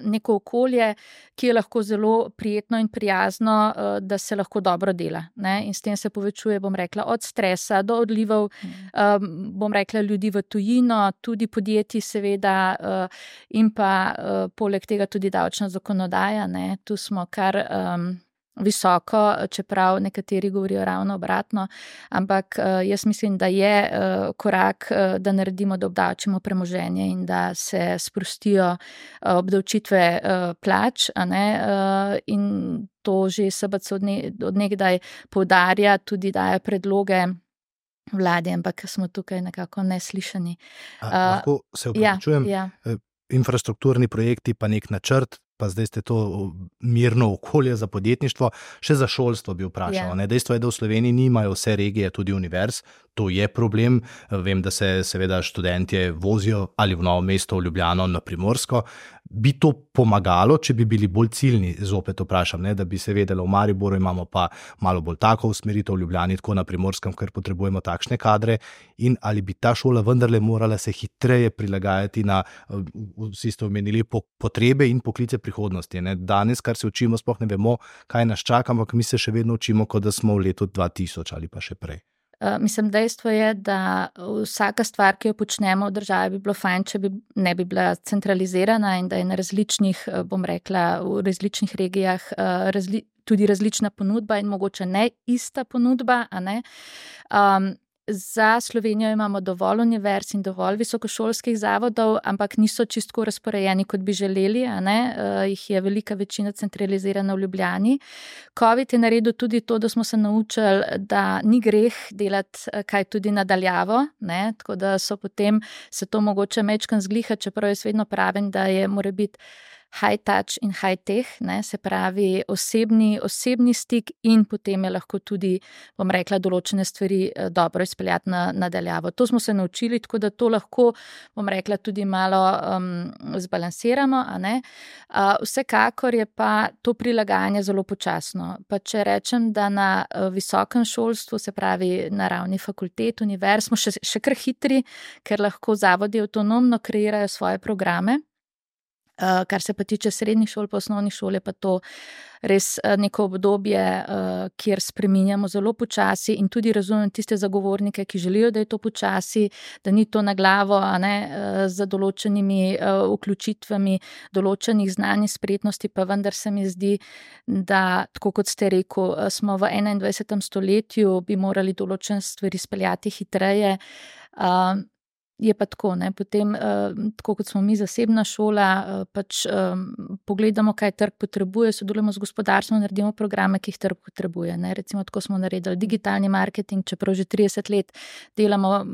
neko okolje, ki je lahko zelo prijetno in prijazno, da se lahko dobro dela. Ne? In s tem se povečuje, bom rekla, od stresa do odlivov, bom rekla, ljudi v tujino, tudi podjetij seveda in pa poleg tega tudi davčna zakonodaja. Ne? Tu smo kar visoko, čeprav nekateri govorijo ravno obratno, ampak jaz mislim, da je korak, da naredimo, da obdavčimo premoženje in da se sprostijo obdavčitve plač, a ne, in to že SBC od nekdaj poudarja, tudi daje predloge vlade, ampak smo tukaj nekako neslišani. Lahko se opravičujem, infrastrukturni projekti pa nek načrt, pa zdaj ste to mirno okolje za podjetništvo, še za šolstvo bi vprašal. Ne? Dejstvo je, da v Sloveniji nimajo vse regije, tudi univerz, to je problem. Vem, da se seveda študentje vozijo ali v Novo mesto, v Ljubljano, na Primorsko. Bi to pomagalo, če bi bili bolj ciljni, zopet vprašam, ne? Da bi se vedelo, v Mariboru imamo pa malo bolj tako usmeritev, v Ljubljani tako na Primorskem, ker potrebujemo takšne kadre, in ali bi ta šola vendarle morala se hitreje prilagajati na, vsi ste omenili, potrebe in poklice prihodnosti. Ne? Danes, kar se učimo, sploh ne vemo, kaj nas čaka, ampak mi se še vedno učimo, kot da smo v letu 2000 ali pa še prej. Mislim, dejstvo je, da vsaka stvar, ki jo počnemo v državi, bi bilo fajn, če ne bi bila centralizirana in da je na različnih, bom rekla, v različnih regijah tudi različna ponudba in mogoče ne ista ponudba, a ne. Za Slovenijo imamo dovolj univerz in dovolj visokošolskih zavodov, ampak niso čisto razporejeni, kot bi želeli, a ne. Jih je velika večina centralizirana v Ljubljani. COVID je naredil tudi to, da smo se naučili, da ni greh delati kaj tudi nadaljavo, ne. Tako da so potem se to mogoče mečkan zgliha, čeprav jaz vedno pravim, da mora biti high touch in high tech, ne, se pravi osebni stik in potem je lahko tudi, bom rekla, določene stvari dobro izpeljati nadaljavo. To smo se naučili, tako da to lahko, bom rekla, tudi malo zbalansiramo, a ne. Vsekakor je pa to prilagajanje zelo počasno. Pa če rečem, da na visokem šolstvu, se pravi na ravni fakultet, univerz, smo še kar hitri, ker lahko zavodi avtonomno kreirajo svoje programe. Kar se pa tiče srednjih šol, pa osnovnih šol, je pa to res neko obdobje, kjer spreminjamo zelo počasi in tudi razumem tiste zagovornike, ki želijo, da je to počasi, da ni to na glavo, a ne, z določenimi vključitvami določenih znanj in spretnosti, pa vendar se mi zdi, da, tako kot ste rekel, smo v 21. stoletju, bi morali določene stvari speljati hitreje. Je pa tako, ne, potem, tako kot smo mi zasebna šola, pač pogledamo, kaj trg potrebuje, sodelujemo z gospodarstvom, naredimo programe, ki jih trg potrebuje, ne, recimo tako smo naredili digitalni marketing, čeprav že 30 let delamo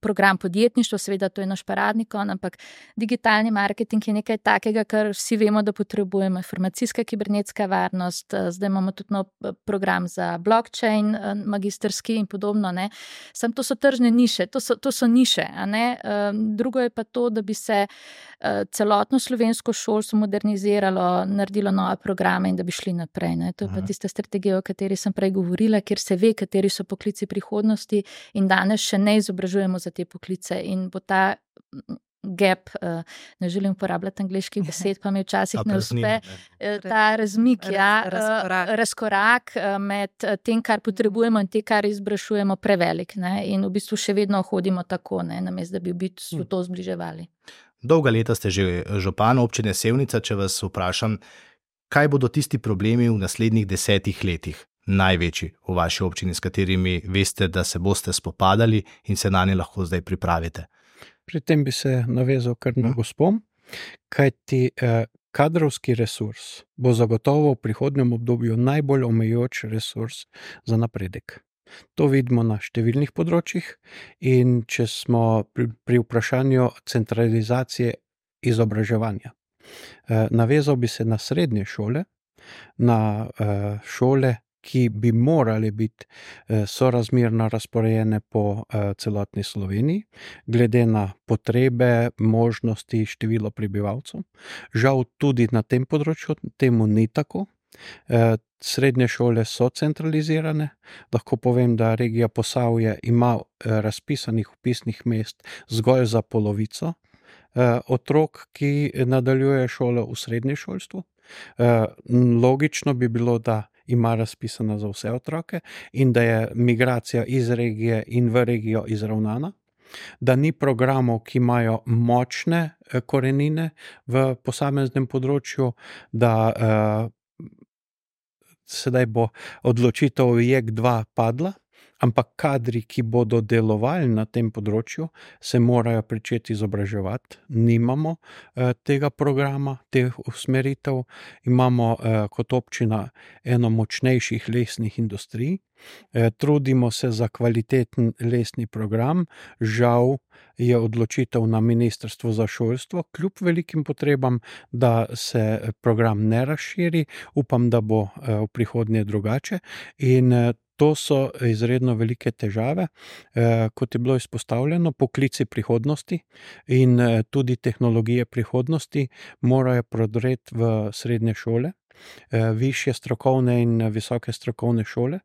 program podjetništva, seveda to je naš paradni konj, ampak digitalni marketing je nekaj takega, kar vsi vemo, da potrebujemo, informacijska kibernetska varnost, zdaj imamo tudi nov program za blockchain, magistrski in podobno, ne, samo to so tržne niše, to so niše, a ne. Drugo je pa to, da bi se celotno slovensko šolstvo moderniziralo, naredilo nove programe in da bi šli naprej. Ne. To je pa tista strategija, o kateri sem prej govorila, kjer se ve, kateri so poklici prihodnosti in danes še ne izobražujemo za te poklice in bo ta gap, ne želim uporabljati angleških besed, pa mi včasih ne uspe, ta razmik, razkorak med tem, kar potrebujemo in tem, kar izbrašujemo, prevelik, ne? In v bistvu še vedno hodimo tako, ne? Namesto da bi v bistvu to zbliževali. Dolga leta ste že župan občine Sevnica, če vas vprašam, kaj bodo tisti problemi v naslednjih 10 letih največji v vaši občini, s katerimi veste, da se boste spopadali in se na nje lahko zdaj pripravite? Pri tem bi se navezal kar na gospom, kajti kadrovski resurs bo zagotovo v prihodnjem obdobju najbolj omejujoč resurs za napredek. To vidimo na številnih področjih in če smo pri vprašanju centralizacije izobraževanja. Navezal bi se na srednje šole, na šole, ki bi morali biti sorazmerno razporejene po celotni Sloveniji, glede na potrebe, možnosti, število prebivalcev. Žal tudi na tem področju temu ni tako. Srednje šole so centralizirane. Lahko povem, da regija Posavje ima razpisanih vpisnih mest zgolj za polovico otrok, ki nadaljuje šolo v srednjem šolstvu. Logično bi bilo, da ima razpisana za vse otroke in da je migracija iz regije in v regijo izravnana, da ni programov, ki imajo močne korenine v posameznem področju, da sedaj bo odločitev JEK2 padla, ampak kadri, ki bodo delovali na tem področju, se morajo pričeti izobraževati. Nimamo tega programa, teh usmeritev. Imamo kot občina eno močnejših lesnih industrij. Trudimo se za kvaliteten lesni program. Žal je odločitev na Ministrstvu za šolstvo, kljub velikim potrebam, da se program ne razširi. Upam, da bo v prihodnje drugače. In to so izredno velike težave, kot je bilo izpostavljeno, poklici prihodnosti in tudi tehnologije prihodnosti morajo prodreti v srednje šole, višje strokovne in visoke strokovne šole,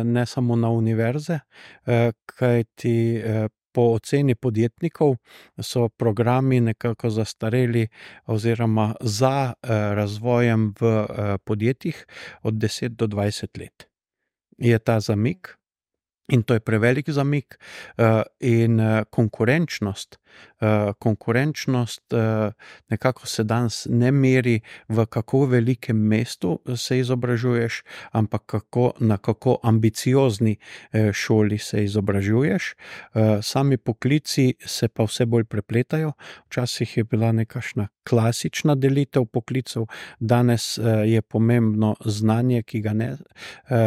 ne samo na univerze, kajti po oceni podjetnikov so programi nekako zastareli oziroma za razvojem v podjetjih od 10 do 20 let. Je ta zamik in to je prevelik zamik in konkurenčnost nekako se danes ne meri v kako velikem mestu se izobražuješ, ampak na kako ambiciozni šoli se izobražuješ. Sami poklici se pa vse bolj prepletajo. Včasih je bila nekakšna klasična delitev poklicev, danes je pomembno znanje, ki ga ne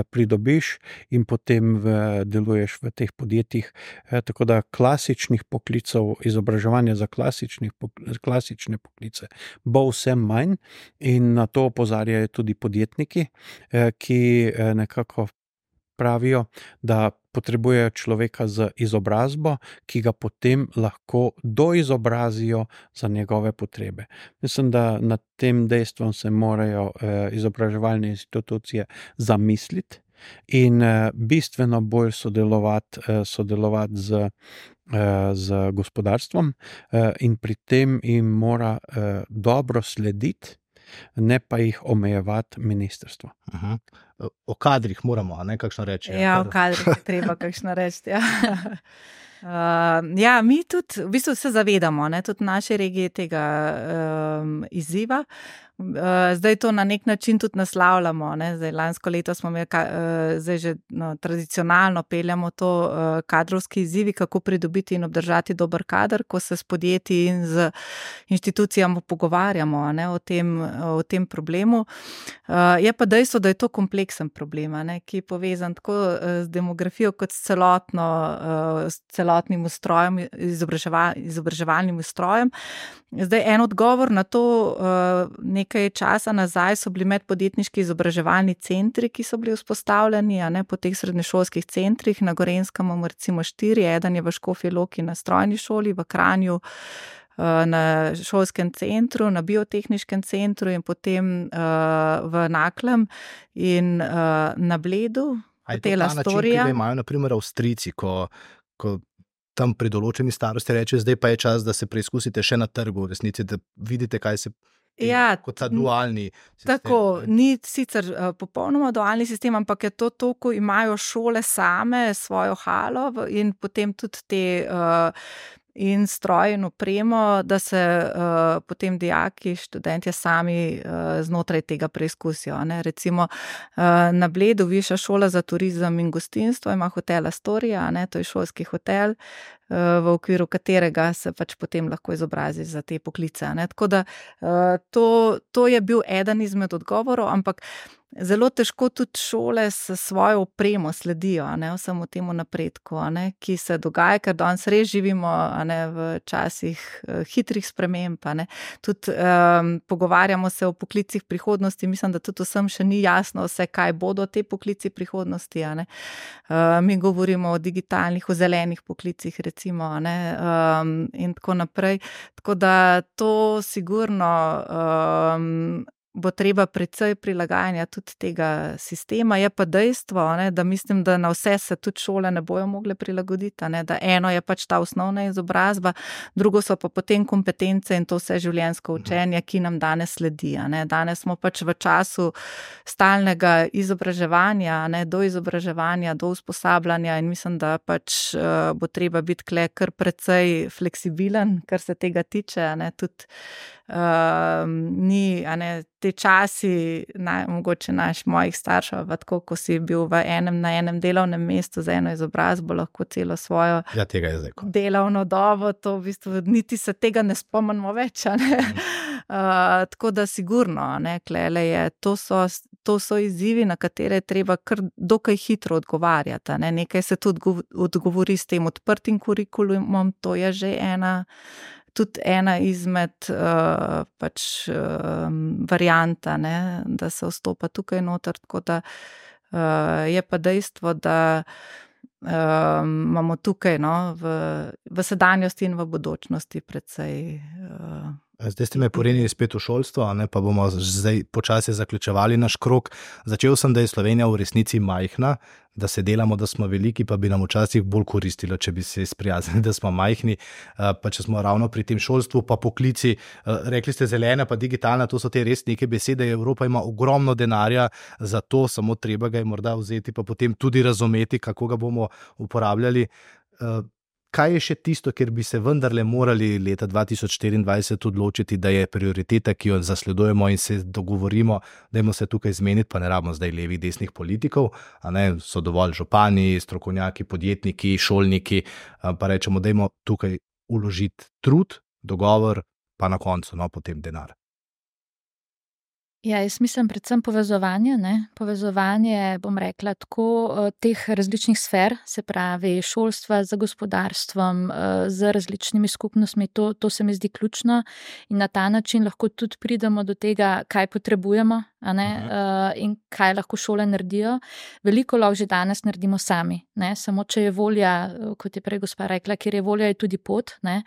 pridobiš in potem deluješ v teh podjetjih. Tako da klasičnih poklicev, izobraževanja za klasične poklice bo vse manj in na to opozarjajo tudi podjetniki, ki nekako pravijo, da potrebujejo človeka z izobrazbo, ki ga potem lahko doizobrazijo za njegove potrebe. Mislim, da nad tem dejstvom se morajo izobraževalne institucije zamisliti in bistveno bolj sodelovati z gospodarstvom in pri tem jim mora dobro slediti, ne pa jih omejevati ministrstvo. O kadrih moramo, a ne kakšno reči? Ja, o kadrih je treba kakšno reči, ja. Ja, mi tudi v bistvu se zavedamo, ne, tudi v naši regiji tega izziva. Zdaj to na nek način tudi naslavljamo, ne. Zdaj lansko leto smo imeli, zdaj že tradicionalno peljamo to kadrovski izzivi, kako pridobiti in obdržati dober kader, ko se s podjetji in z inštitucijami pogovarjamo, ne, o tem problemu. Je pa dejstvo, da je to kompleksen problem, ne, ki je povezan tako z demografijo kot s celotnim ustrojem, izobraževalnim ustrojem. Zdaj en odgovor na to, nekaj časa nazaj so bili medpodjetniški izobraževalni centri, ki so bili vzpostavljeni, a ne, po teh srednješolskih centrih. Na Gorenjskem imamo recimo 4, eden je v Škofji Loki na strojni šoli, v Kranju na šolskem centru, na biotehniškem centru in potem v Naklem in na Bledu. A je to ta način, ki ga imajo na primer Avstrijci, ko tam pri določeni starosti reče, zdaj pa je čas, da se preizkusite še na trgu, v resnici, da vidite, kaj se kot ta dualni sistem. Tako, ni sicer popolnoma dualni sistem, ampak je to, ko imajo šole same svojo halo in potem tudi te in stroj in opremo, da se potem dijaki, študentje sami znotraj tega preizkusijo. Ne? Recimo na Bledu Višja šola za turizem in gostinstvo ima hotel Astoria, ne? To je šolski hotel, v okviru katerega se pač potem lahko izobrazi za te poklice. Ne? Tako da to je bil eden izmed odgovorov, ampak zelo težko tudi šole s svojo opremo sledijo, ne, vsemu temu napredku, ne, ki se dogaja, ker danes res živimo, ne, v časih hitrih sprememb, ne. Tudi pogovarjamo se o poklicih prihodnosti, mislim, da tudi vsem še ni jasno vse, kaj bodo te poklici prihodnosti, ne. Mi govorimo o digitalnih, o zelenih poklicih recimo, ne, in tako naprej. Tako da to sigurno bo treba precej prilagajanja tudi tega sistema. Je pa dejstvo, ne, da mislim, da na vse se tudi šole ne bojo mogle prilagoditi, ne, da eno je pač ta osnovna izobrazba, drugo so pa potem kompetence in to vse življenjsko učenje, ki nam danes sledi. Ne. Danes smo pač v času stalnega izobraževanja, ne, do izobraževanja, do usposabljanja in mislim, da pač bo treba biti kle kar precej fleksibilen, kar se tega tiče, ne, tudi ni, a ne, te časi, mogoče mojih staršev, tako, ko si bil na enem delovnem mestu za eno izobrazbo, lahko celo svojo delovno dobo, to v bistvu niti se tega ne spomnimo več, ne. Tako da sigurno, ne, klele je, to so izzivi, na katere je treba kar dokaj hitro odgovarjati, ne. Nekaj se tudi odgovori s tem odprtim kurikulumom, to je že tudi ena izmed pač varianta, ne, da se vstopa tukaj noter, tako da je pa dejstvo, da imamo tukaj, no, v sedanjosti in v bodočnosti precej Zdaj ste me porinili spet v šolstvo, ne, pa bomo zdaj počasi zaključevali naš krog. Začel sem, da je Slovenija v resnici majhna, da se delamo, da smo veliki, pa bi nam včasih bolj koristilo, če bi se sprijaznili, da smo majhni, pa če smo ravno pri tem šolstvu, pa poklici, rekli ste zelena, pa digitalna, to so te res neke besede, Evropa ima ogromno denarja za to, samo treba ga je morda vzeti, pa potem tudi razumeti, kako ga bomo uporabljali. Kaj je še tisto, kjer bi se vendarle morali leta 2024 odločiti, da je prioriteta, ki jo zasledujemo in se dogovorimo, dajmo se tukaj zmeniti, pa ne rabimo zdaj levih, desnih politikov, a ne, so dovolj župani, strokovnjaki, podjetniki, šolniki, pa rečemo, dajmo tukaj vložiti trud, dogovor, pa na koncu, no, potem denar. Ja, jaz mislim predvsem povezovanje, ne? Povezovanje, bom rekla, tako teh različnih sfer, se pravi šolstva z gospodarstvom, z različnimi skupnostmi, to se mi zdi ključno in na ta način lahko tudi pridemo do tega, kaj potrebujemo, a ne? In kaj lahko šole naredijo. Veliko lahko že danes naredimo sami, ne? Samo če je volja, kot je prej gospa rekla, kjer je volja, je tudi pot, ne?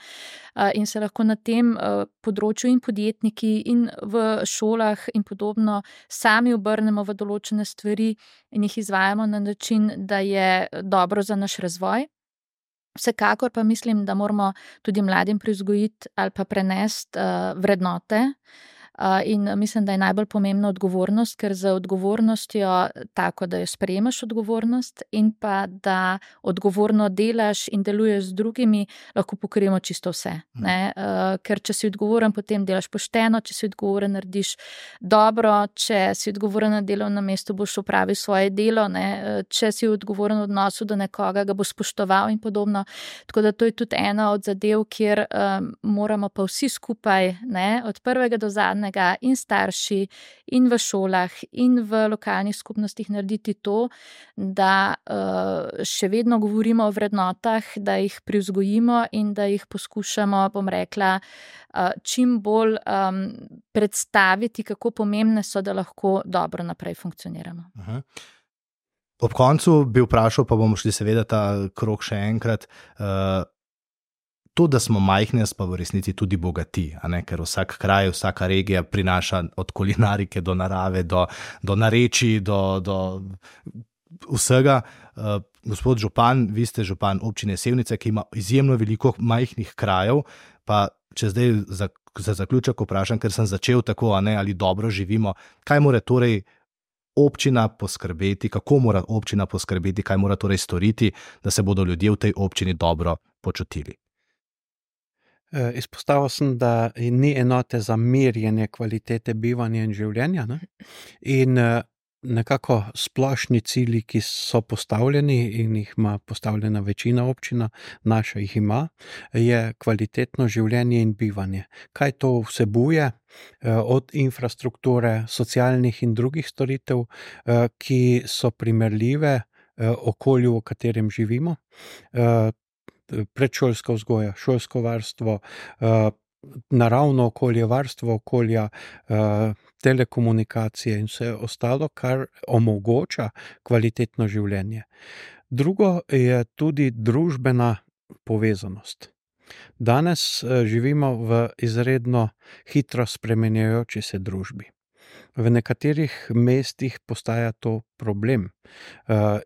In se lahko na tem področju in podjetniki in v šolah in podobno sami obrnemo v določene stvari in jih izvajamo na način, da je dobro za naš razvoj. Vsekakor pa mislim, da moramo tudi mladim privzgojiti ali pa prenesti vrednote. In mislim, da je najbolj pomembna odgovornost, ker za odgovornostjo tako, da jo sprejemaš odgovornost in pa da odgovorno delaš in deluješ z drugimi, lahko pokrijemo čisto vse. Ne? Ker če si odgovoren, potem delaš pošteno, če si odgovoren, narediš dobro, če si odgovoren na delovnem mestu, boš opravil svoje delo, ne? Če si odgovoren v odnosu do nekoga, ga boš spoštoval in podobno. Tako da to je tudi ena od zadev, kjer moramo pa vsi skupaj, ne? Od prvega do zadnjega in starši in v šolah in v lokalnih skupnostih narediti to, da še vedno govorimo o vrednotah, da jih privzgojimo in da jih poskušamo, bom rekla, čim bolj predstaviti, kako pomembne so, da lahko dobro naprej funkcioniramo. Ob koncu bi vprašal, pa bomo šli seveda ta krog še enkrat, to, da smo majhni, pa v resnici tudi bogati, a ne? Ker vsak kraj, vsaka regija prinaša od kulinarike do narave, do narečij, do vsega. Gospod župan, vi ste župan občine Sevnica, ki ima izjemno veliko majhnih krajev, pa če zdaj za zaključek vprašam, ker sem začel tako, ali dobro živimo, kaj mora torej občina poskrbeti, kako mora občina poskrbeti, kaj mora torej storiti, da se bodo ljudje v tej občini dobro počutili? Izpostavil sem, da ni enote za merjenje kvalitete bivanja in življenja, ne? In nekako splošni cilji, ki so postavljeni in jih ima postavljena večina občina, naša jih ima, je kvalitetno življenje in bivanje. Kaj to vsebuje? Od infrastrukture, socialnih in drugih storitev, ki so primerljive okolju, v katerem živimo, predšolska vzgoja, šolsko varstvo, naravno okolje, varstvo okolja, telekomunikacije in vse ostalo, kar omogoča kvalitetno življenje. Drugo je tudi družbena povezanost. Danes živimo v izredno hitro spremenjajoči se družbi. V nekaterih mestih postaja to problem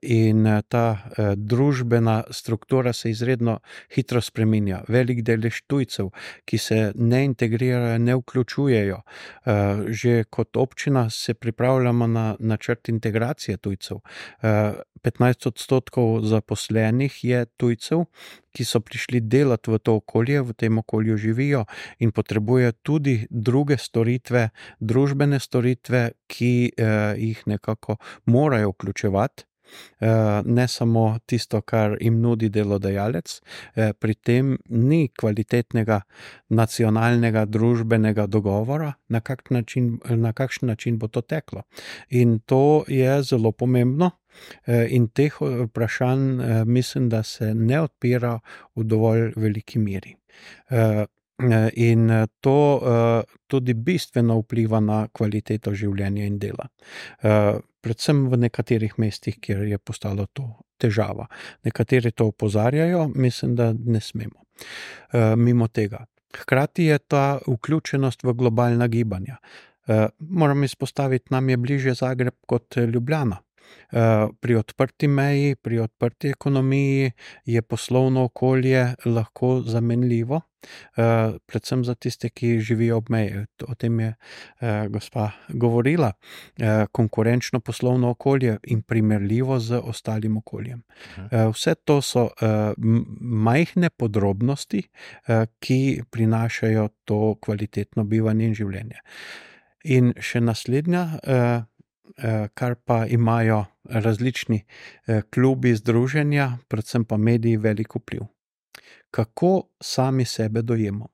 in ta družbena struktura se izredno hitro spreminja. Velik delež tujcev, ki se ne integrirajo, ne vključujejo. Že kot občina se pripravljamo na načrt integracije tujcev. 15% zaposlenih je tujcev, ki so prišli delati v to okolje, v tem okolju živijo in potrebujejo tudi druge storitve, družbene storitve, ki jih nekako morajo vključevati. Ne samo tisto, kar jim nudi delodajalec, pri tem ni kvalitetnega nacionalnega družbenega dogovora, na kakšen način bo to teklo. In to je zelo pomembno. In teh vprašanj mislim, da se ne odpira v dovolj veliki meri. In to tudi bistveno vpliva na kvaliteto življenja in dela. Predvsem v nekaterih mestih, kjer je postalo to težava. Nekateri to opozarjajo, mislim, da ne smemo mimo tega. Hkrati je ta vključenost v globalna gibanja. Moram izpostaviti, nam je bližje Zagreb kot Ljubljana. Pri odprti meji, pri odprti ekonomiji je poslovno okolje lahko zamenljivo, predvsem za tiste, ki živijo ob meji. O tem je gospa govorila. Konkurenčno poslovno okolje in primerljivo z ostalim okoljem. Vse to so majhne podrobnosti, ki prinašajo to kvalitetno bivanje in življenje. In še naslednja, kar pa imajo različni klubi, združenja, predvsem pa mediji velik vpliv. Kako sami sebe dojemo?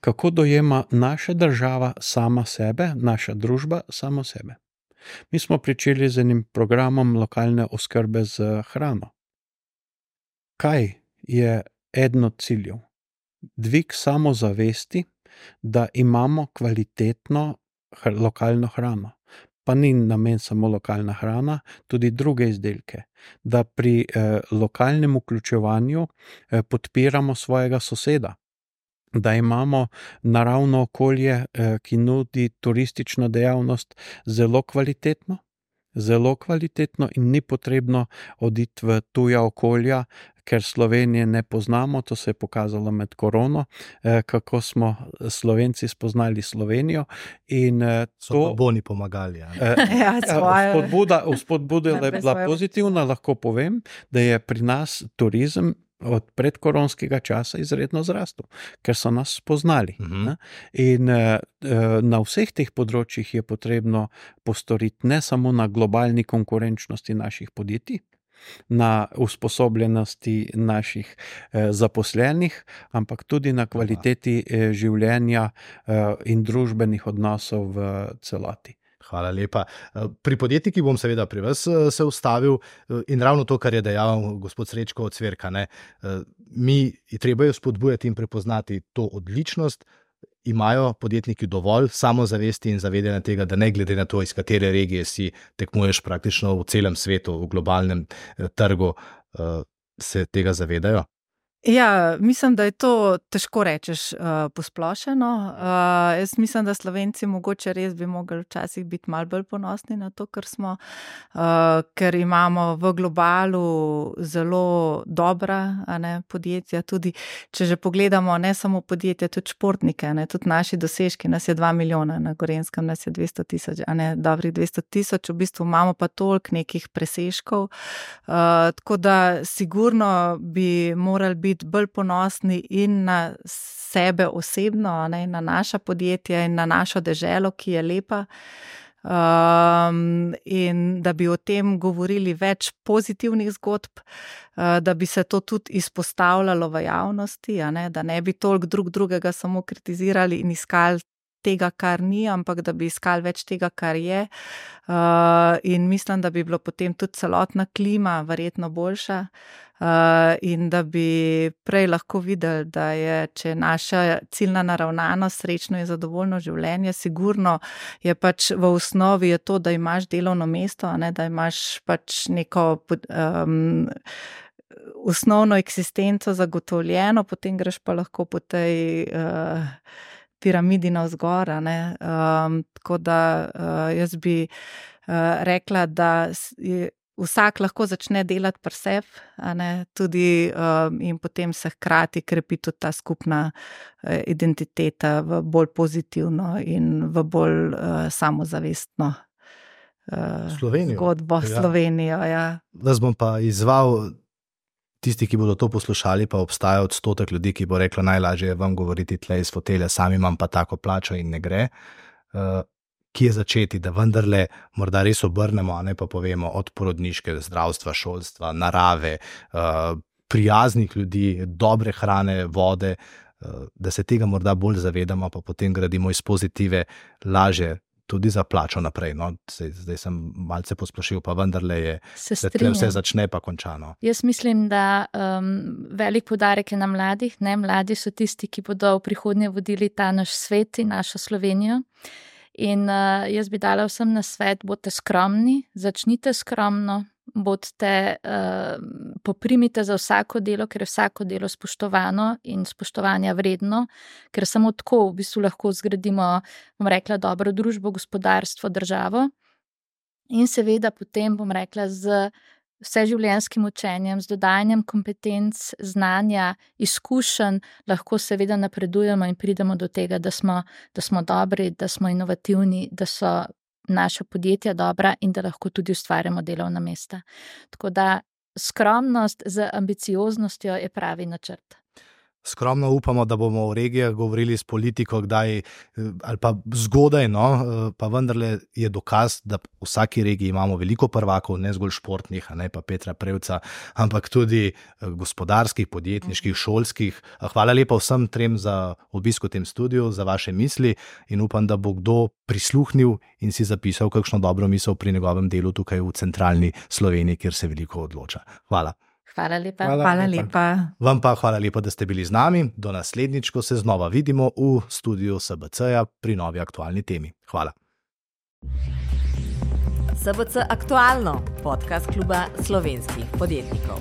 Kako dojema naša država sama sebe, naša družba samo sebe? Mi smo pričeli z enim programom lokalne oskrbe z hrano. Kaj je eden od ciljev? Dvig samozavesti, da imamo kvalitetno lokalno hrano. Pa ni namen samo lokalna hrana, tudi druge izdelke. Da pri lokalnem vključevanju podpiramo svojega soseda. Da imamo naravno okolje, ki nudi turistično dejavnost zelo kvalitetno in ni potrebno oditi v tuja okolja, ker Slovenije ne poznamo. To se je pokazalo med korono, kako smo Slovenci spoznali Slovenijo. In so pa boni pomagali. Spodbuda je bila pozitivna, lahko povem, da je pri nas turizem od predkoronskega časa izredno zrastel, ker so nas spoznali. In na vseh teh področjih je potrebno postoriti ne samo na globalni konkurenčnosti naših podjetij, na usposobljenosti naših zaposlenih, ampak tudi na kvaliteti življenja in družbenih odnosov v celoti. Hvala lepa. Pri podjetnikih bom seveda pri vas se ustavil in ravno to, kar je dejal gospod Srečko od Cverka, ne, treba je spodbujati in prepoznati to odličnost. Imajo podjetniki dovolj samozavesti in zavedanja tega, da ne glede na to, iz katere regije si tekmuješ praktično v celem svetu, v globalnem trgu, se tega zavedajo? Ja, mislim, da je to težko rečeš posplošeno. Jaz mislim, da Slovenci mogoče res bi mogli včasih biti malo bolj ponosni na to, kar smo, ker imamo v globalu zelo dobra podjetja. Tudi, če že pogledamo, ne samo podjetja, tudi športnike, tudi naši dosežki, nas je 2 milijona, na Gorenjskem nas je 200 000, dobrih 200 000, v bistvu imamo pa toliko nekih presežkov. Tako da sigurno bi morali biti bolj ponosni in na sebe osebno, na naša podjetja in na našo deželo, ki je lepa. In da bi o tem govorili več pozitivnih zgodb, da bi se to tudi izpostavljalo v javnosti, da ne bi toliko drugega samo kritizirali in iskali tega, kar ni, ampak da bi iskali več tega, kar je. In mislim, da bi bilo potem tudi celotna klima verjetno boljša. In da bi prej lahko videli, da je, če je naša ciljna naravnanost, srečno in zadovoljno življenje, sigurno je pač v osnovi je to, da imaš delovno mesto, da imaš pač neko osnovno eksistenco zagotovljeno, potem greš pa lahko po tej piramidi navzgor. Tako da jaz bi rekla, da vsak lahko začne delati pri sebi, tudi in potem se hkrati krepi tudi ta skupna identiteta v bolj pozitivno in v bolj samozavestno zgodbo Slovenijo. Ja. Vas bom pa izzval, tisti, ki bodo to poslušali, pa obstaja odstotek ljudi, ki bo reklo, najlažje je vam govoriti tle iz fotelja, sam imam pa tako plačo in ne gre. Kje začeti, da vendarle morda res obrnemo, a ne pa povemo od porodniške, zdravstva, šolstva, narave, prijaznih ljudi, dobre hrane, vode, da se tega morda bolj zavedamo, pa potem gradimo iz pozitive lažje tudi za plačo naprej. No, zdaj sem malce posplošil, pa vendarle je, da tle vse začne pa končano. Jaz mislim, da velik poudarek je na mladih. Mladi so tisti, ki bodo v prihodnje vodili ta naš svet in našo Slovenijo. In jaz bi dala vsem na svet, bodite skromni, začnite skromno, poprimite za vsako delo, ker je vsako delo spoštovano in spoštovanja vredno, ker samo tako v bistvu lahko zgradimo, bom rekla, dobro družbo, gospodarstvo, državo. In seveda potem, bom rekla, z vseživljenjskim učenjem, z dodajanjem kompetenc, znanja, izkušenj, lahko seveda napredujemo in pridemo do tega, da smo dobri, da smo inovativni, da so naša podjetja dobra in da lahko tudi ustvarjamo delovna mesta. Tako da skromnost z ambicioznostjo je pravi načrt. Skromno upamo, da bomo v regijah govorili s politiko kdaj ali pa zgodaj, no, pa vendarle je dokaz, da v vsaki regiji imamo veliko prvakov, ne zgolj športnih, ne pa Petra Prevca, ampak tudi gospodarskih, podjetniških, šolskih. Hvala lepa vsem trem za obisk v tem studiu, za vaše misli in upam, da bo kdo prisluhnil in si zapisal kakšno dobro misel pri njegovem delu tukaj v centralni Sloveniji, kjer se veliko odloča. Hvala. Hvala lepa. Hvala lepa. Vam pa hvala lepa, da ste bili z nami. Do naslednjič, ko se znova vidimo v studiu SBC-ja pri novi aktualni temi. Hvala. SBC Aktualno, podcast kluba slovenskih podjetnikov.